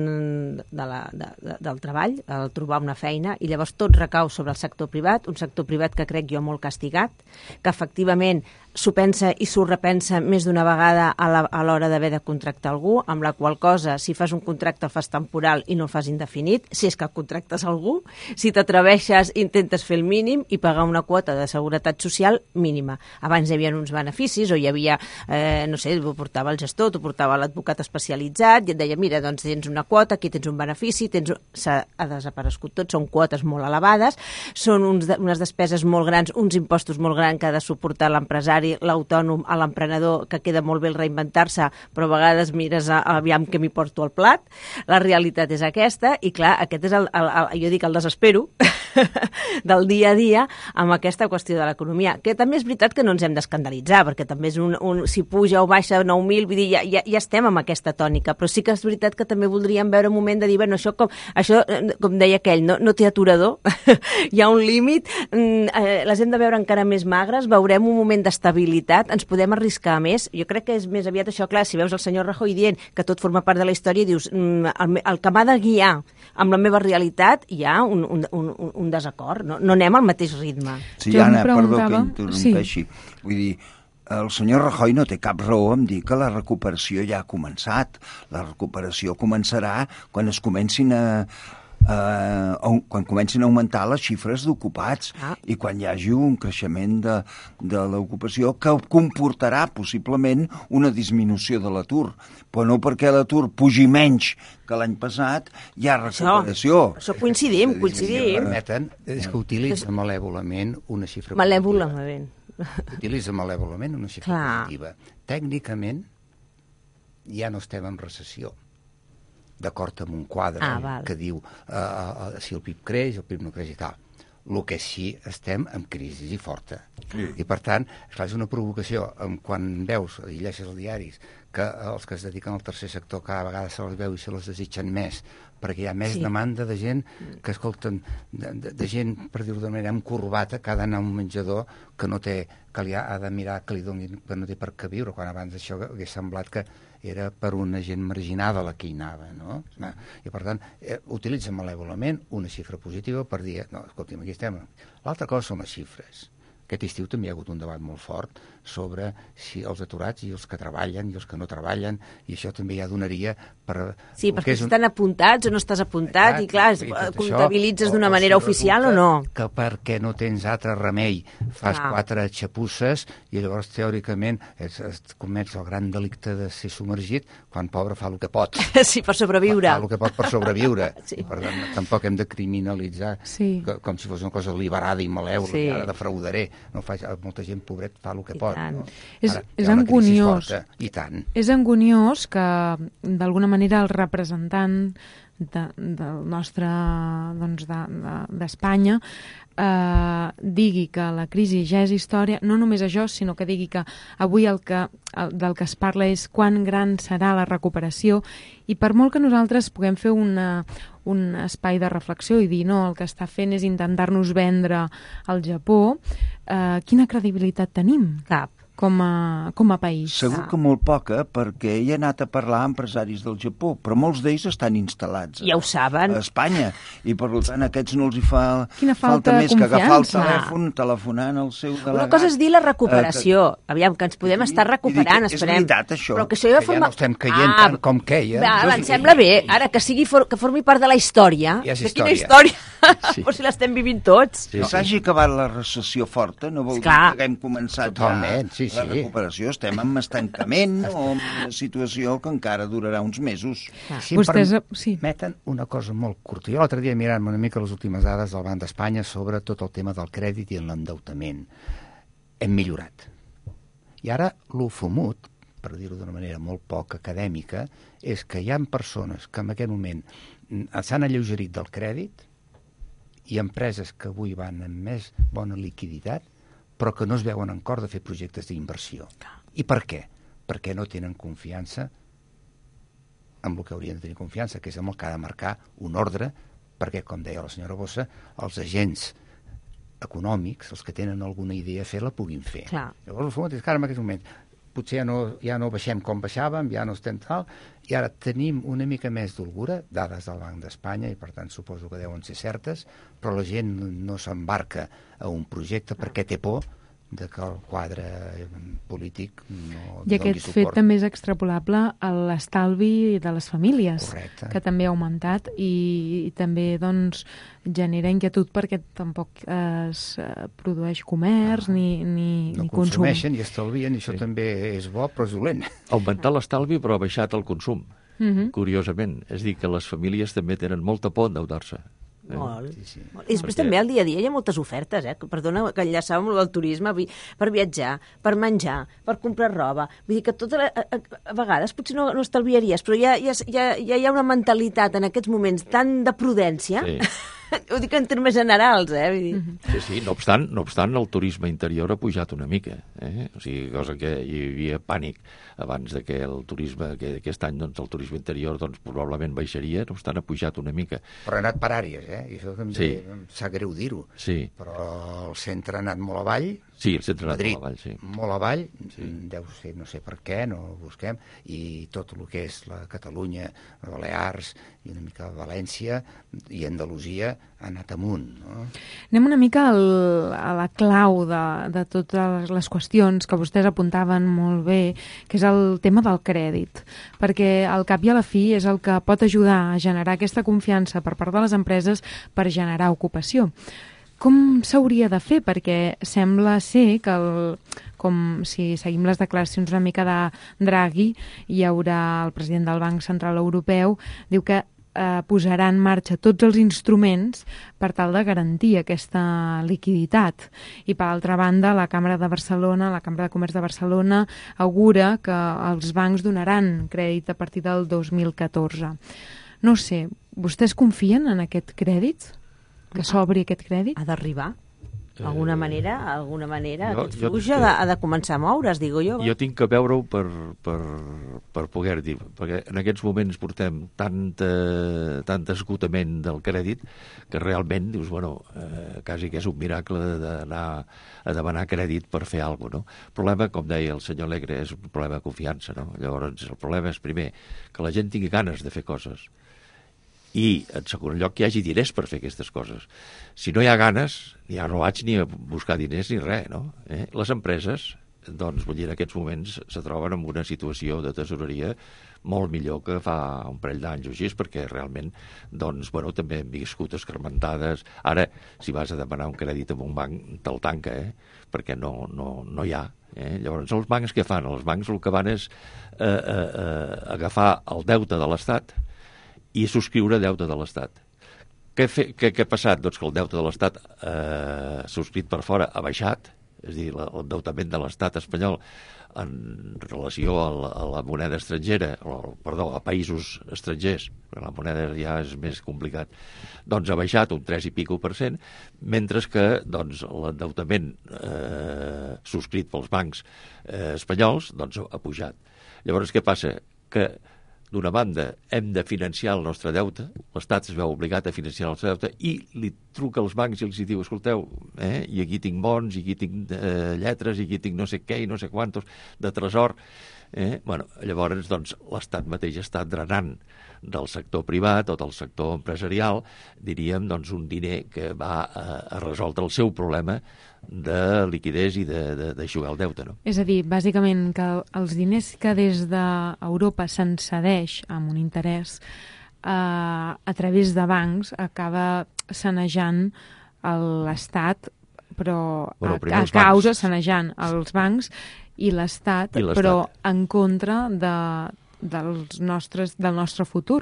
de la, de, de, del treball, el trobar una feina, i llavors tot recau sobre el sector privat, un sector privat que crec jo molt castigat, que efectivament s'ho pensa i s'ho repensa més d'una vegada a l'hora d'haver de contractar algú, amb la qual cosa, si fas un contracte el fas temporal i no el fas indefinit, si és que contractes algú, si t'atreveixes intentes fer el mínim i pagar una quota de seguretat social mínima. Abans hi havia uns beneficis o hi havia, eh, no sé, ho portava el gestor, t'ho portava l'advocat especialitzat i et deia, mira, doncs tens una quota, aquí tens un benefici, tens... s'ha desaparegut tot, són quotes molt elevades, són uns de, unes despeses molt grans, uns impostos molt grans que ha de suportar l'empresari, l'autònom, a l'emprenedor, que queda molt bé el reinventar-se, però a vegades mires a, a aviam que m'hi porto al plat. La realitat és aquesta i, clar, aquest és el, el, el jo dic el desespero del dia a dia amb aquesta qüestió de l'economia, que també és veritat que no ens hem d'escandalitzar, perquè també és un, un si puja o baixa nou mil, vull dir, ja, ja, ja estem amb aquesta tònica, però sí que és veritat que també voldríem veure un moment de dir, bueno, això com, això, com deia aquell, no, no té aturador, hi ha un límit, eh, les hem de veure encara més magres, veurem un moment d'estabilitat, ens podem arriscar més. Jo crec que és més aviat això, clar, si veus el senyor Rajoy dient que tot forma part de la història, dius, el, el que m'ha de guiar amb la meva realitat hi ha un, un, un, un desacord, no, no anem al mateix ritme. Sí, Anna, perdó que interrompeixi. Sí. Vull dir, el senyor Rajoy no té cap raó en dir que la recuperació ja ha començat. La recuperació començarà quan es comencin a Uh, quan comencin a augmentar les xifres d'ocupats ah. i quan hi hagi un creixement de, de l'ocupació que comportarà possiblement una disminució de l'atur, però no perquè l'atur pugi menys que l'any passat hi ha recuperació. Això, això coincidim, coincidim. Si permeten, és que utilitza malèvolament una xifra malèvolament. Utilitza malèvolament una xifra Clar. positiva. Tècnicament ja no estem en recessió, d'acord amb un quadre ah, que diu uh, uh, si el P I B creix, el P I B no creix i tal. El que sí estem en crisi i forta. Sí. I per tant, esclar, és una provocació. Quan veus, i llegeixes els diaris, que els que es dediquen al tercer sector cada vegada se les veu i se les desitgen més, perquè hi ha més sí. demanda de gent que escolten, de, de, de gent, per dir-ho d'una manera, amb corbata, que ha d'anar a un menjador que no té, que li ha, ha de mirar que li donin, que no té per què viure, quan abans això hagués semblat que era per una gent marginada la que hi anava, no? I per tant, eh, utilitza malèvolament una xifra positiva per dir, no, escolta'm, aquí estem. L'altra cosa són les xifres. Aquest estiu també hi ha hagut un debat molt fort sobre si els aturats i els que treballen i els que no treballen, i això també ja donaria per... Sí, perquè si un... estan apuntats o no estàs apuntat, exacte, i clar, es comptabilitzes d'una manera oficial o no. Que perquè no tens altre remei fas ah. quatre xapusses i llavors teòricament es, es comets el gran delicte de ser submergit quan pobre fa el que pot. Sí, per sobreviure. Fa, fa el que pot per sobreviure. Sí. Per tant, tampoc hem de criminalitzar sí. que, com si fos una cosa liberada i malèvola, sí. i ara defraudaré. no fa, molta gent, pobret, fa el que I pot. tant. No? És, Ara, és hi ha una crisi anguniós. forta, I tant. És anguniós que, d'alguna manera, el representant de, del nostre, doncs, d'Espanya de, de, eh, digui que la crisi ja és història, no només això, sinó que digui que avui el que, el, del que es parla és quan gran serà la recuperació, i per molt que nosaltres puguem fer una, un espai de reflexió i dir no, el que està fent és intentar-nos vendre al Japó, eh, quina credibilitat tenim? Cap. Com a, com a país. Segur que molt poca, perquè he anat a parlar amb empresaris del Japó, però molts d'ells estan instal·lats Ja ho saben. a Espanya, i per tant a aquests no els hi fa Quina falta falta més de que agafar el confiança. telèfon telefonant al seu delegat. Una cosa és dir la recuperació. Eh, que... Aviam, que ens podem estar recuperant, I dic, esperem. És veritat, això. Però que això ja Que ja no estem caient tant com queia. Va, Jo em sí- sembla bé. Ara, que sigui for, que formi part de la història. Ja és De quina història. història? Sí. Però si l'estem vivint tots. Sí, Que sí. s'hagi acabat la recessió forta no vol dir Esclar. que haguem començat Totalment, ja sí, la sí. recuperació. Estem en estancament o en una situació que encara durarà uns mesos. Si Vostès, em sí. permeten una cosa molt curta. Jo l'altre dia mirant una mica les últimes dades del Banc d'Espanya sobre tot el tema del crèdit i l'endeutament. Hem millorat. I ara lo fumut, per dir-ho d'una manera molt poc acadèmica, és que hi ha persones que en aquest moment s'han alleugerit del crèdit i empreses que avui van amb més bona liquiditat però que no es veuen en cor de fer projectes d'inversió. I per què? Perquè no tenen confiança amb el que haurien de tenir confiança, que és amb el que ha de marcar un ordre, perquè, com deia la senyora Bossa, els agents econòmics, els que tenen alguna idea a fer, la puguin fer. Clar. Llavors, el fons és que ara en aquest moment potser ja no, ja no baixem com baixàvem, ja no estem tal, i ara tenim una mica més d'holgura, dades del Banc d'Espanya, i per tant suposo que deuen ser certes, però la gent no s'embarca a un projecte perquè té por de que el quadre polític no I doni aquest fet suport. també és extrapolable a l'estalvi de les famílies, Correcte. que també ha augmentat i, i també doncs, genera inquietud perquè tampoc es eh, produeix comerç Ah, ni, ni, No ni consum. consumeixen i estalvien, i això Sí. també és bo, però és dolent. Ha augmentat l'estalvi però ha baixat el consum, Mhm. curiosament. És a dir, que les famílies també tenen molta por endeutar-se. Eh? Molt. Sí, sí. I després Perquè- també al dia a dia hi ha moltes ofertes, eh? Perdona, que enllaçàvem amb el turisme, vi- per viatjar, per menjar, per comprar roba. Vull dir que tot, a, a, a vegades potser no, no estalviaries, però ja, ja, ja, ja hi ha una mentalitat en aquests moments tan de prudència, Sí. ho dic en termes generals, eh? Vull dir, Mhm. Sí, sí, no obstant, no obstant, el turisme interior ha pujat una mica, eh? O sigui, cosa que hi havia pànic abans de que el turisme, que aquest any, doncs, el turisme interior, doncs, probablement baixaria, no obstant, ha pujat una mica. Però ha anat per àrees, eh? I això també Sí. em sap greu dir-ho. Sí, Però el centre ha anat molt avall, sí, el centre ha anat Madrid, molt avall, sí. molt avall, sí. Deu ser, no sé per què, no ho busquem, i tot el que és la Catalunya, Balears, i una mica València i Andalusia ha anat amunt, no? Anem una mica al, a la clau de, de totes les qüestions que vostès apuntaven molt bé, que és el tema del crèdit, perquè al cap i a la fi és el que pot ajudar a generar aquesta confiança per part de les empreses per generar ocupació. Com s'hauria de fer? Perquè sembla ser que, el, com si seguim les declaracions una mica de Draghi, hi haurà el president del Banc Central Europeu, diu que eh, posarà en marxa tots els instruments per tal de garantir aquesta liquiditat. I per altra banda, la Cambra de Barcelona, la Cambra de Comerç de Barcelona, augura que els bancs donaran crèdit a partir del dos mil catorze. No sé, vostès confien en aquest crèdit? Que s'obri aquest crèdit? ha d'arribar. D'alguna manera, d'alguna manera, jo- aquest jo- flux ha de, ha de començar a moure's, digo jo. Jo tinc que veure-ho per, per, per poder dir, perquè en aquests moments portem tanta, tant esgotament del crèdit que realment dius, bueno, eh, quasi que és un miracle d'anar a demanar crèdit per fer alguna cosa, no? El problema, com deia el senyor Alegre, és un problema de confiança, no? Llavors, el problema és, primer, que la gent tingui ganes de fer coses, i, en segon lloc, que hi hagi diners per fer aquestes coses. Si no hi ha ganes, ja no vaig ni a buscar diners ni res, no? Eh? Les empreses, doncs, vull dir, en aquests moments se troben en una situació de tesoreria molt millor que fa un parell d'anys o així, perquè realment, doncs, bueno, també hem viscut escarmentades. Ara, si vas a demanar un crèdit en un banc, te'l tanca, eh? Perquè no, no, no hi ha. Eh? Llavors, els bancs què fan? Els bancs el que van és eh, eh, eh, agafar el deute de l'Estat i subscriure deute de l'Estat. Què, fe, què, què ha passat? Doncs que el deute de l'Estat eh, subscrit per fora ha baixat, és a dir, l'endeutament de l'estat espanyol en relació a la, a la moneda estrangera, o, perdó, a països estrangers, perquè la moneda ja és més complicat, doncs ha baixat un tres i pico per cent, mentre que doncs, l'endeutament eh, subscrit pels bancs eh, espanyols doncs, ha pujat. Llavors, què passa? Que d'una banda, hem de financiar el nostre deute, l'Estat es veu obligat a financiar el nostre deute, i li truca als bancs i els diu, escolteu, eh, i aquí tinc bons, i aquí tinc eh, lletres, i aquí tinc no sé què, i no sé quantos, de tresor. Eh? Bueno, llavors, doncs, l'Estat mateix està drenant del sector privat o del sector empresarial, diríem, doncs, un diner que va a, a resoldre el seu problema de liquidez i d'aixugar el deute, no? És a dir, bàsicament, que els diners que des d'Europa se'n cedeix amb un interès eh, a través de bancs acaba sanejant l'Estat, però bueno, a, a causa sanejant els bancs i l'Estat, però en contra de, dels nostres, del nostre futur,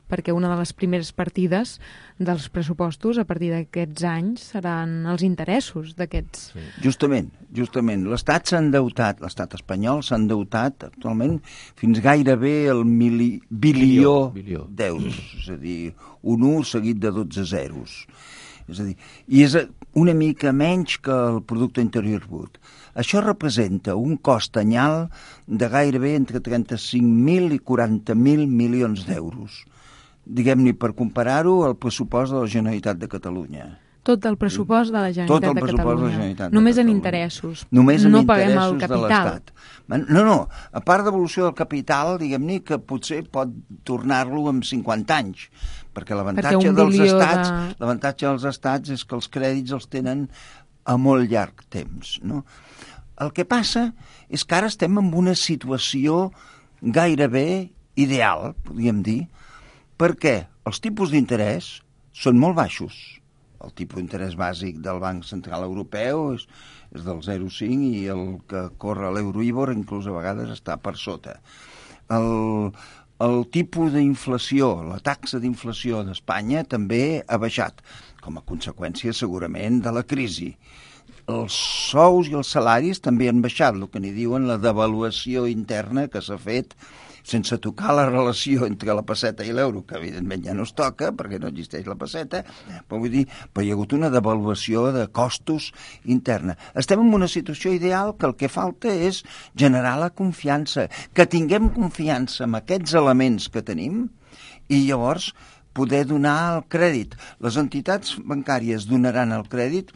perquè una de les primeres partides dels pressupostos a partir d'aquests anys seran els interessos d'aquests. Sí. Justament, justament. L'Estat s'ha endeutat, l'Estat espanyol s'ha endeutat actualment fins gairebé el mili, bilió, bilió. d'euros, és a dir, un u seguit de dotze zeros. És a dir, i és una mica menys que el producte interior brut. Això representa un cost anyal de gairebé entre trenta-cinc mil i quaranta mil milions d'euros. Diguem-ne, per comparar-ho, al pressupost de la Generalitat de Catalunya. Tot el pressupost de la Generalitat Tot el de pressupost Catalunya. de la Generalitat Només de en Catalunya. interessos. Només en no interessos paguem el capital. de l'Estat. No, no, a part d'evolució del capital, diguem-ne que potser pot tornar-lo en cinquanta anys, perquè l'avantatge dels estats, de... l'avantatge dels estats és que els crèdits els tenen a molt llarg temps, no? El que passa és que ara estem en una situació gairebé ideal, podríem dir, perquè els tipus d'interès són molt baixos. El tipus d'interès bàsic del Banc Central Europeu és, és del zero coma cinc i el que corre a l'Euroibor inclús a vegades està per sota. El, el tipus d'inflació, la taxa d'inflació d'Espanya també ha baixat, com a conseqüència segurament de la crisi. Els sous i els salaris també han baixat, el que n'hi diuen la devaluació interna que s'ha fet sense tocar la relació entre la pesseta i l'euro, que evidentment ja no es toca perquè no existeix la pesseta, però vull dir, però hi ha hagut una devaluació de costos interna. Estem en una situació ideal que el que falta és generar la confiança, que tinguem confiança en aquests elements que tenim i llavors poder donar el crèdit. Les entitats bancàries donaran el crèdit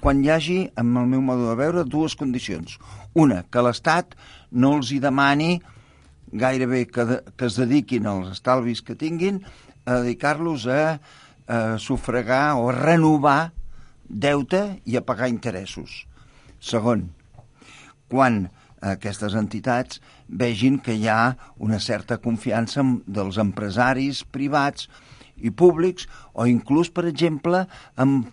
quan hi hagi, amb el meu modo de veure, dues condicions. Una, que l'Estat no els hi demani gairebé que, de, que es dediquin als estalvis que tinguin a dedicar-los a, a sufragar o a renovar deute i a pagar interessos. Segon, quan aquestes entitats vegin que hi ha una certa confiança dels empresaris privats i públics o inclús, per exemple, amb,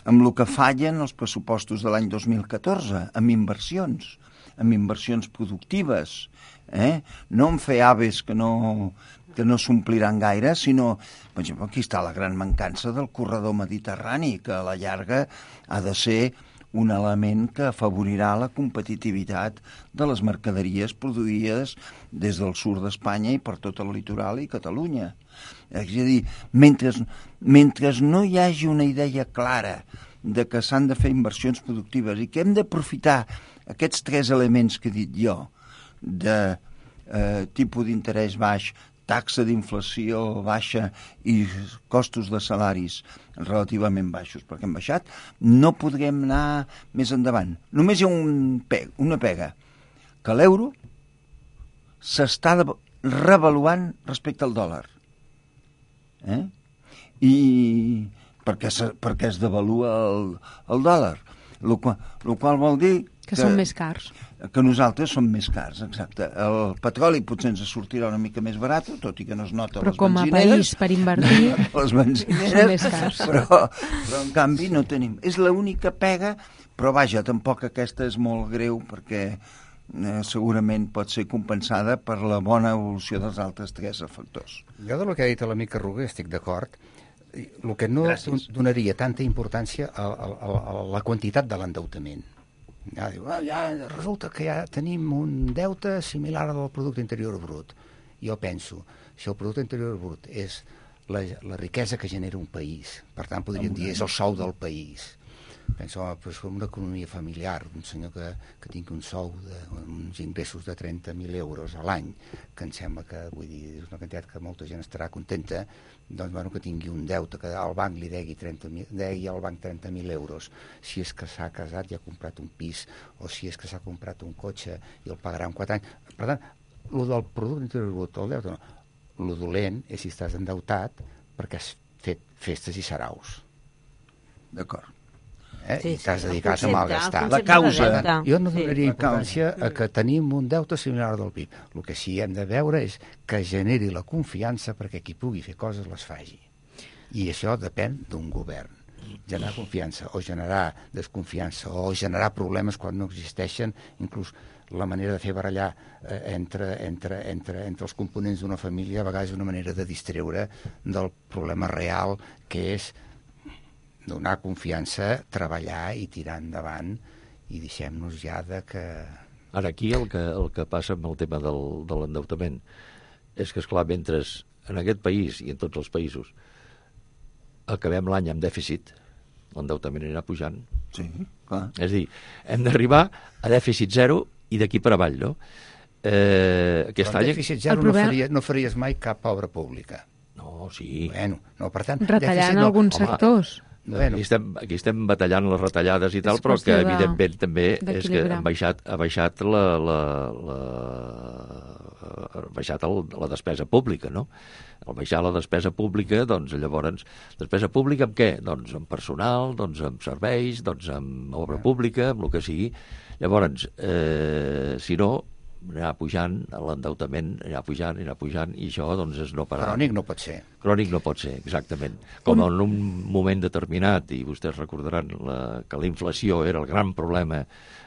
amb el que fallen els pressupostos de l'any dos mil catorze, amb inversions, amb inversions productives, eh? No en fer aves que no, que no s'ompliran gaire, sinó, per exemple, aquí està la gran mancança del corredor mediterrani, que a la llarga ha de ser un element que afavorirà la competitivitat de les mercaderies produïdes des del sud d'Espanya i per tot el litoral i Catalunya. És a dir, mentre, mentre no hi hagi una idea clara de que s'han de fer inversions productives i que hem d'aprofitar aquests tres elements que he dit jo, de eh, tipus d'interès baix, taxa d'inflació baixa i costos de salaris relativament baixos, perquè han baixat, no podrem anar més endavant. Només hi ha un pe una pega, que l'euro s'està revaluant respecte al dòlar. Eh? I perquè, se, perquè es devalua el, el dòlar, el qual, el qual vol dir que, que són més cars. Que nosaltres som més cars, exacte. El petroli potser ens sortirà una mica més barat, tot i que no es nota però les benzineres. Però com a país, per invertir, les benzineres, són més cars. Però, però en canvi no tenim. És l'única pega, però vaja, tampoc aquesta és molt greu perquè eh, segurament pot ser compensada per la bona evolució dels altres tres factors. Jo del que ha dit l'amic Arruga estic d'acord. El que no Gràcies. donaria tanta importància a, a, a la quantitat de l'endeutament. Ja, diu, ah, ja resulta que ja tenim un deute similar al producte interior brut. Jo penso, si el producte interior brut és la, la riquesa que genera un país, per tant podríem dir és el sou del país. Penso, home, pues, una economia familiar, un senyor que, que tingui un sou, de, uns ingressos de trenta mil euros a l'any, que em sembla que, vull dir, és una quantitat que molta gent estarà contenta, doncs, bueno, que tingui un deute, que al banc li degui, trenta mil, degui al banc trenta mil euros, si és que s'ha casat i ha comprat un pis, o si és que s'ha comprat un cotxe i el pagarà en quatre anys. Per tant, el del producte interior brut, el deute, no. El dolent és si estàs endeutat perquè has fet festes i saraus. D'acord. Eh? Sí, I t'has sí, dedicat el a malgastar. concepte La causa. de deute. Jo no donaria Sí. importància a que tenim un deute similar del P I B. El que sí hem de veure és que generi la confiança perquè qui pugui fer coses les faci. I això depèn d'un govern. Generar confiança o generar desconfiança o generar problemes quan no existeixen, inclús la manera de fer barallar eh, entre, entre, entre, entre els components d'una família a vegades és una manera de distreure del problema real, que és donar confiança, treballar i tirar endavant, i deixem-nos ja de que... Ara, aquí el que, el que passa amb el tema del, de l'endeutament és que, esclar, mentre en aquest país i en tots els països acabem l'any amb dèficit, l'endeutament anirà pujant. Sí, clar. És a dir, hem d'arribar a dèficit zero i d'aquí per avall, no? Eh, aquest Però any... dèficit zero problema- no, faria, no faries mai cap obra pública. No, sí. Bueno, no, per tant... Retallant dèficit no. alguns Home, sectors. Bueno. Aquí, estem, aquí estem batallant les retallades i tal, És però que qüestió de- evidentment també és que d'equilibrar. han baixat, ha baixat la, la, la, ha baixat el, la despesa pública, no? Al baixar la despesa pública, doncs llavors, despesa pública amb què? Doncs amb personal, doncs amb serveis, doncs amb obra pública, amb el que sigui. Llavors, eh, si no, anirà pujant, l'endeutament anirà pujant, anirà pujant, i això doncs és no parar. Crònic no pot ser. Crònic no pot ser, exactament. Com en un moment determinat, i vostès recordaran la, que la inflació era el gran problema,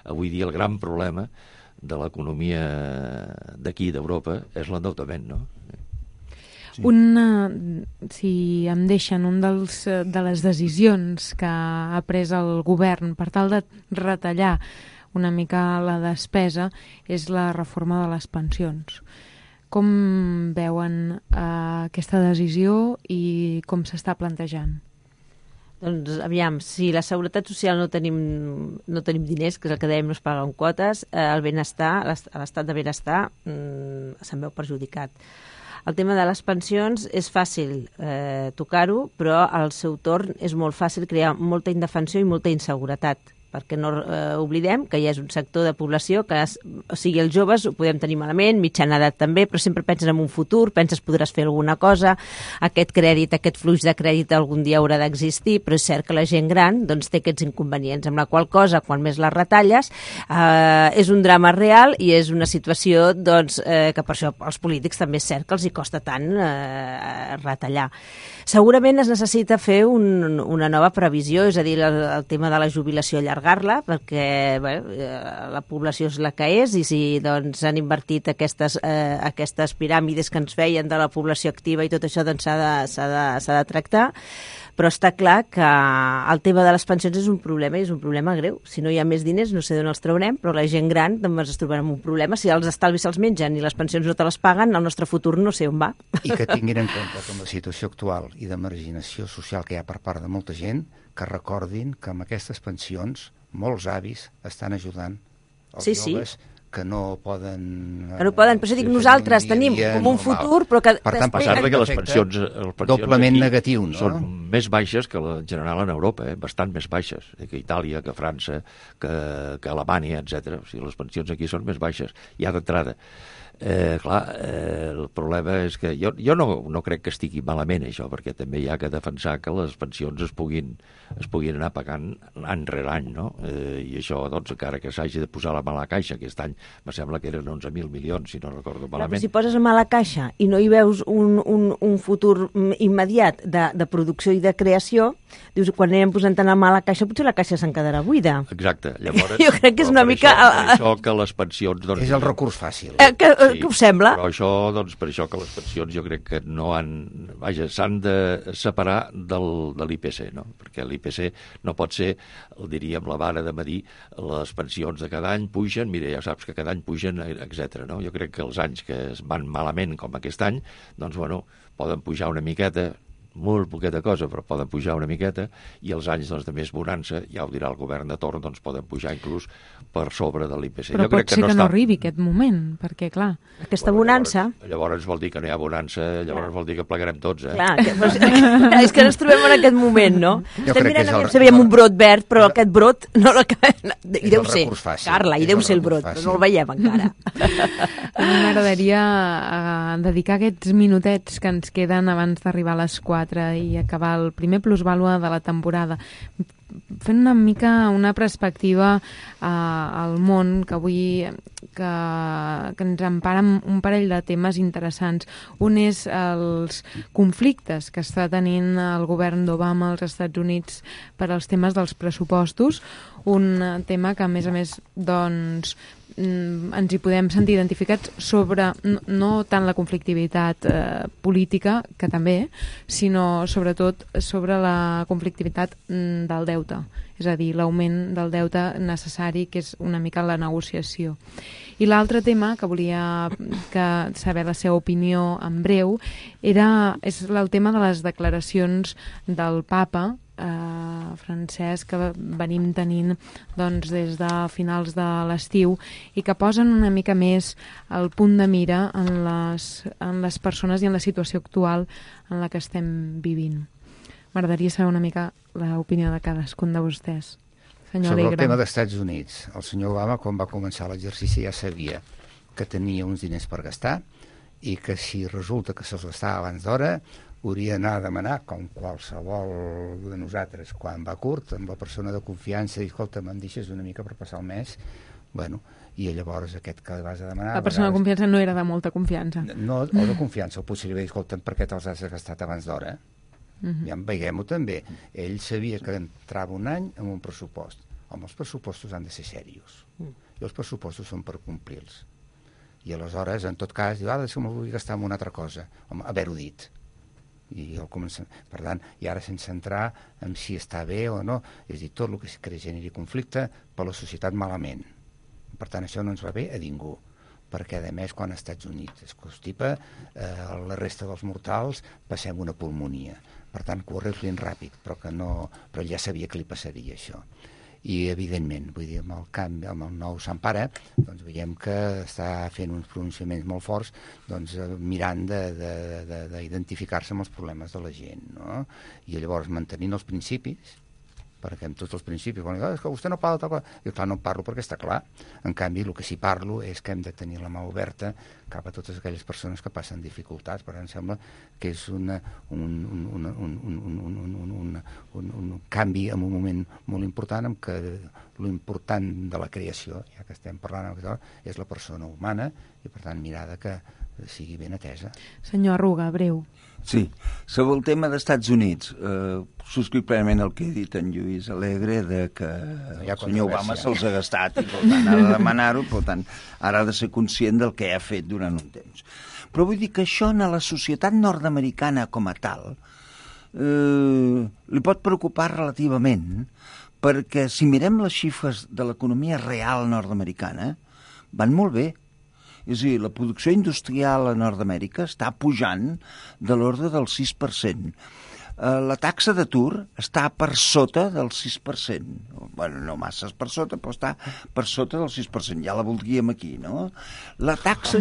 avui dia el gran problema de l'economia d'aquí, d'Europa, és l'endeutament, no? Sí. Una, si em deixen, un dels, de les decisions que ha pres el govern per tal de retallar una mica la despesa és la reforma de les pensions. Com veuen eh, aquesta decisió i com s'està plantejant? Doncs, aviam, si la seguretat social no tenim, no tenim diners, que és el que dèiem, no es paguen quotes, eh, el benestar, l'estat de benestar mm, se'n veu perjudicat. El tema de les pensions és fàcil eh, tocar-ho, però al seu torn és molt fàcil crear molta indefensió i molta inseguretat, perquè no eh, oblidem que hi és un sector de població que, es, o sigui, els joves ho podem tenir malament, mitjana edat també, però sempre penses en un futur, penses podràs fer alguna cosa, aquest crèdit, aquest flux de crèdit algun dia haurà d'existir, però és cert que la gent gran doncs, té aquests inconvenients, amb la qual cosa, quan més les retalles, eh, és un drama real i és una situació doncs, eh, que per això als polítics també és cert que els hi costa tant eh, retallar. Segurament es necessita fer un, una nova previsió, és a dir, el, el tema de la jubilació, allargar-la, perquè bé, la població és la que és, i si doncs, han invertit aquestes, eh, aquestes piràmides que ens feien de la població activa i tot això doncs, s'ha de, s'ha de, s'ha de tractar. Però està clar que el tema de les pensions és un problema, i és un problema greu. Si no hi ha més diners, no sé d'on els traurem, però la gent gran doncs, es trobarà amb un problema. Si els estalvis se'ls mengen i les pensions no te les paguen, el nostre futur no sé on va. I que tinguin en compte que amb la situació actual i de marginació social que hi ha per part de molta gent, que recordin que amb aquestes pensions molts avis estan ajudant els Sí, sí. joves que no poden... Que no poden, però si dic, nosaltres tenim com un futur, però que... Per tant, A pesar de que les efecte, pensions, les pensions doblement aquí negatiu, no? són més baixes que la, en general en Europa, eh? Bastant més baixes, eh? Que Itàlia, que França, que, que Alemanya, etcètera. O sigui, les pensions aquí són més baixes, ja d'entrada. Eh, clar, eh, el problema és que jo, jo no, no crec que estigui malament això, perquè també hi ha que defensar que les pensions es puguin, es puguin anar pagant any rere any, no? Eh, I això, doncs, encara que s'hagi de posar la mà a la caixa aquest any me sembla que eren onze mil milions, si no recordo Però malament. si poses mà a la caixa i no hi veus un, un, un futur immediat de, de producció i de creació, dius, quan anem posant tant mà a la caixa, potser la caixa se'n quedarà buida. Exacte. Llavors, Jo crec que és una per mica... Això, per això que les pensions... Doncs, És el recurs fàcil. Eh, que, sí, que us sembla? Però això, doncs, per això que les pensions jo crec que no han... Vaja, s'han de separar del, de l'I P C, no? Perquè l'I P C no pot ser, el diríem, la vara de medir les pensions de cada any pugen, mira, ja saps que cada any pugen, etcètera. No? Jo crec que els anys que es van malament, com aquest any, doncs, bueno, poden pujar una miqueta, molt poqueta cosa, però poden pujar una miqueta, i els anys doncs, de més bonança, ja ho dirà el govern de torn, doncs poden pujar inclús per sobre de l'I P C. Però jo pot crec que ser no que està... no arribi aquest moment, perquè, clar... Aquesta Bueno, bonança... Llavors, llavors vol dir que no hi ha bonança, llavors Clar. vol dir que plegarem tots, eh? Clar, que, pues, és que ens trobem en aquest moment, no? Jo Estem crec que mirant és el- aviam si veiem un brot verd, però aquest brot no l'acabem... I És deu el ser, recurs fàcil. Carla, i És deu el ser el recurs brot, però fàcil. no el veiem encara. A mi m'agradaria eh, dedicar aquests minutets que ens queden abans d'arribar a les quatre i acabar el primer plusvàlua de la temporada fent una mica una perspectiva eh, al món que avui que, que ens empara amb un parell de temes interessants. Un és els conflictes que està tenint el govern d'Obama als Estats Units per als temes dels pressupostos, un tema que a més a més doncs ens hi podem sentir identificats sobre no, no tant la conflictivitat eh, política, que també, sinó sobretot sobre la conflictivitat mm, del deute, és a dir, l'augment del deute necessari, que és una mica la negociació. I l'altre tema que volia que saber la seva opinió en breu era, és el tema de les declaracions del papa Uh, francès que venim tenint doncs, des de finals de l'estiu i que posen una mica més el punt de mira en les, en les persones i en la situació actual en la que estem vivint. M'agradaria saber una mica l'opinió de cadascun de vostès. Senyor Sobre Alegre. el tema dels Estats Units, el senyor Obama, quan va començar l'exercici, ja sabia que tenia uns diners per gastar i que si resulta que se'ls gastava abans d'hora hauria d'anar a demanar, com qualsevol de nosaltres, quan va curt, amb la persona de confiança, i escolta, me'n deixes una mica per passar el mes, bueno, i llavors aquest que vas a demanar... La persona de vegades, confiança no era de molta confiança. no, o de confiança, o potser li va dir, escolta, per què te'ls has gastat abans d'hora? Uh-huh. Ja en veiem-ho també. Ell sabia que entrava un any amb un pressupost. Home, els pressupostos han de ser serios. I els pressupostos són per complir-los. I aleshores, en tot cas, diu, ara si me'l vull gastar en una altra cosa. Home, haver-ho dit. I el comença... Per tant, i ara sense entrar en si està bé o no, és a dir, tot el que, que generi conflicte per la societat malament. Per tant, això no ens va bé a ningú, perquè, a més, quan als Estats Units es constipa, eh, la resta dels mortals passem una pulmonia. Per tant, corre ben ràpid, però que no... Però ja sabia que li passaria això. I, evidentment, vull dir, amb el canvi, amb el nou Sant Pare, doncs veiem que està fent uns pronunciaments molt forts, doncs mirant d'identificar-se amb els problemes de la gent, no? I llavors mantenint els principis, perquè amb tots els principis, quan diuen, és que vostè no parla de tal cosa, jo clar, no en parlo perquè està clar. En canvi, el que sí parlo és que hem de tenir la mà oberta cap a totes aquelles persones que passen dificultats. Per tant, em sembla que és una, un, un, un, un, un, un, un, un, un, un, un canvi en un moment molt important, en què l'important de la creació, ja que estem parlant, és la persona humana, i per tant mirada que sigui ben atesa. Senyor Arruga, breu. Sí, sobre el tema dels Estats Units, eh, subscric plenament el que ha dit en Lluís Alegre, de que No hi ha el senyor Obama controvèrsia. se'ls ha gastat i per tant ha de demanar-ho, per tant ara ha de ser conscient del que ha fet durant un temps. Però vull dir que això en la societat nord-americana com a tal eh, li pot preocupar relativament, perquè si mirem les xifres de l'economia real nord-americana van molt bé. És a dir, la producció industrial a Nord-Amèrica està pujant de l'ordre del sis per cent. Eh, la taxa d'atur està per sota del sis per cent. Bueno, no masses per sota, però està per sota del sis per cent. Ja la voldríem aquí, no? La taxa,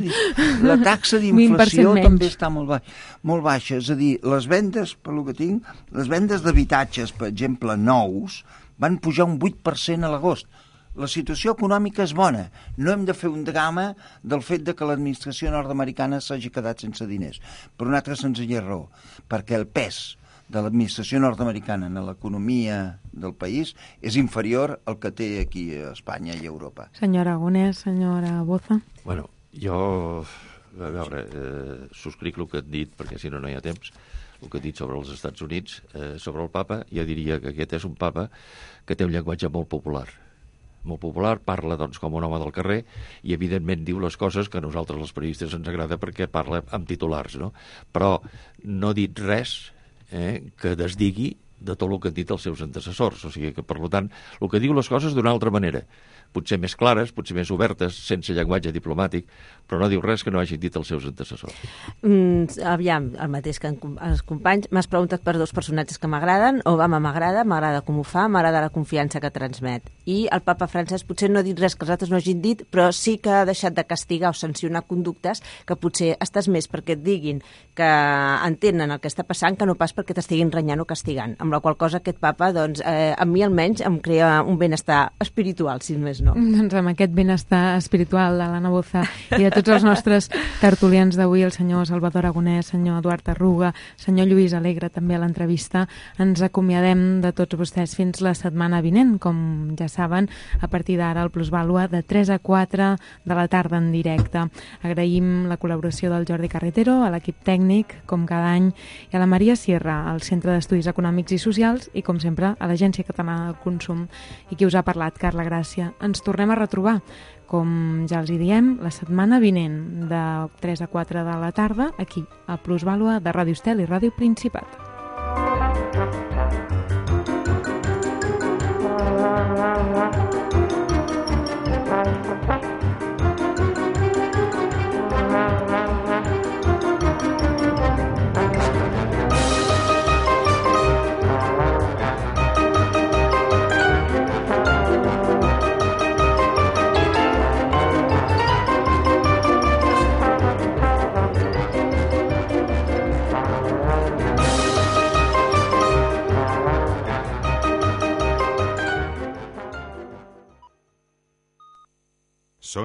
la taxa d'inflació també està molt baixa, molt baixa. És a dir, les vendes, per lo que tinc, les vendes d'habitatges, per exemple, nous, van pujar un vuit per cent a l'agost. La situació econòmica és bona. No hem de fer un drama del fet de que l'administració nord-americana s'hagi quedat sense diners. Per una altra senzilla raó, perquè el pes de l'administració nord-americana en l'economia del país és inferior al que té aquí a Espanya i a Europa. Senyor Aragonès, senyora Boza. Bueno, jo, a veure, eh, subscric el que et dit, perquè si no no hi ha temps, el que he dit sobre els Estats Units, eh, sobre el papa, jo diria que aquest és un papa que té un llenguatge molt popular. Molt popular, parla doncs, com un home del carrer i evidentment diu les coses que a nosaltres els periodistes ens agrada perquè parla amb titulars, no? Però no ha dit res eh, que desdigui de tot el que han dit els seus antecessors. O sigui que, per tant, el que diu les coses d'una altra manera, potser més clares, potser més obertes, sense llenguatge diplomàtic, però no diu res que no hagin dit els seus antecessors. Mm, aviam, el mateix que els companys, m'has preguntat per dos personatges que m'agraden. Obama m'agrada, m'agrada com ho fa, m'agrada la confiança que transmet. I el papa francès potser no ha dit res que els altres no hagin dit, però sí que ha deixat de castigar o sancionar conductes que potser estàs més perquè et diguin que entenen el que està passant que no pas perquè t'estiguin renyant o castigant. Amb la qual cosa aquest papa, doncs, eh, a mi almenys em crea un benestar espiritual, si més no. Doncs amb aquest benestar espiritual de l'Anna Boza i de tots els nostres tertulians d'avui, el senyor Salvador Aragonès, senyor Eduard Arruga, senyor Lluís Alegre, també a l'entrevista, ens acomiadem de tots vostès fins la setmana vinent, com ja saben, a partir d'ara el Plusvàlua de tres a quatre de la tarda en directe. Agraïm la col·laboració del Jordi Carretero, a l'equip tècnic, com cada any, i a la Maria Sierra, al Centre d'Estudis Econòmics i Socials, i com sempre a l'Agència Catalana del Consum. I qui us ha parlat, Carla Gràcia. Ens tornem a retrobar, com ja els hi diem, la setmana vinent de tres a quatre de la tarda, aquí, a Plusvàlua de Ràdio Estel i Ràdio Principat.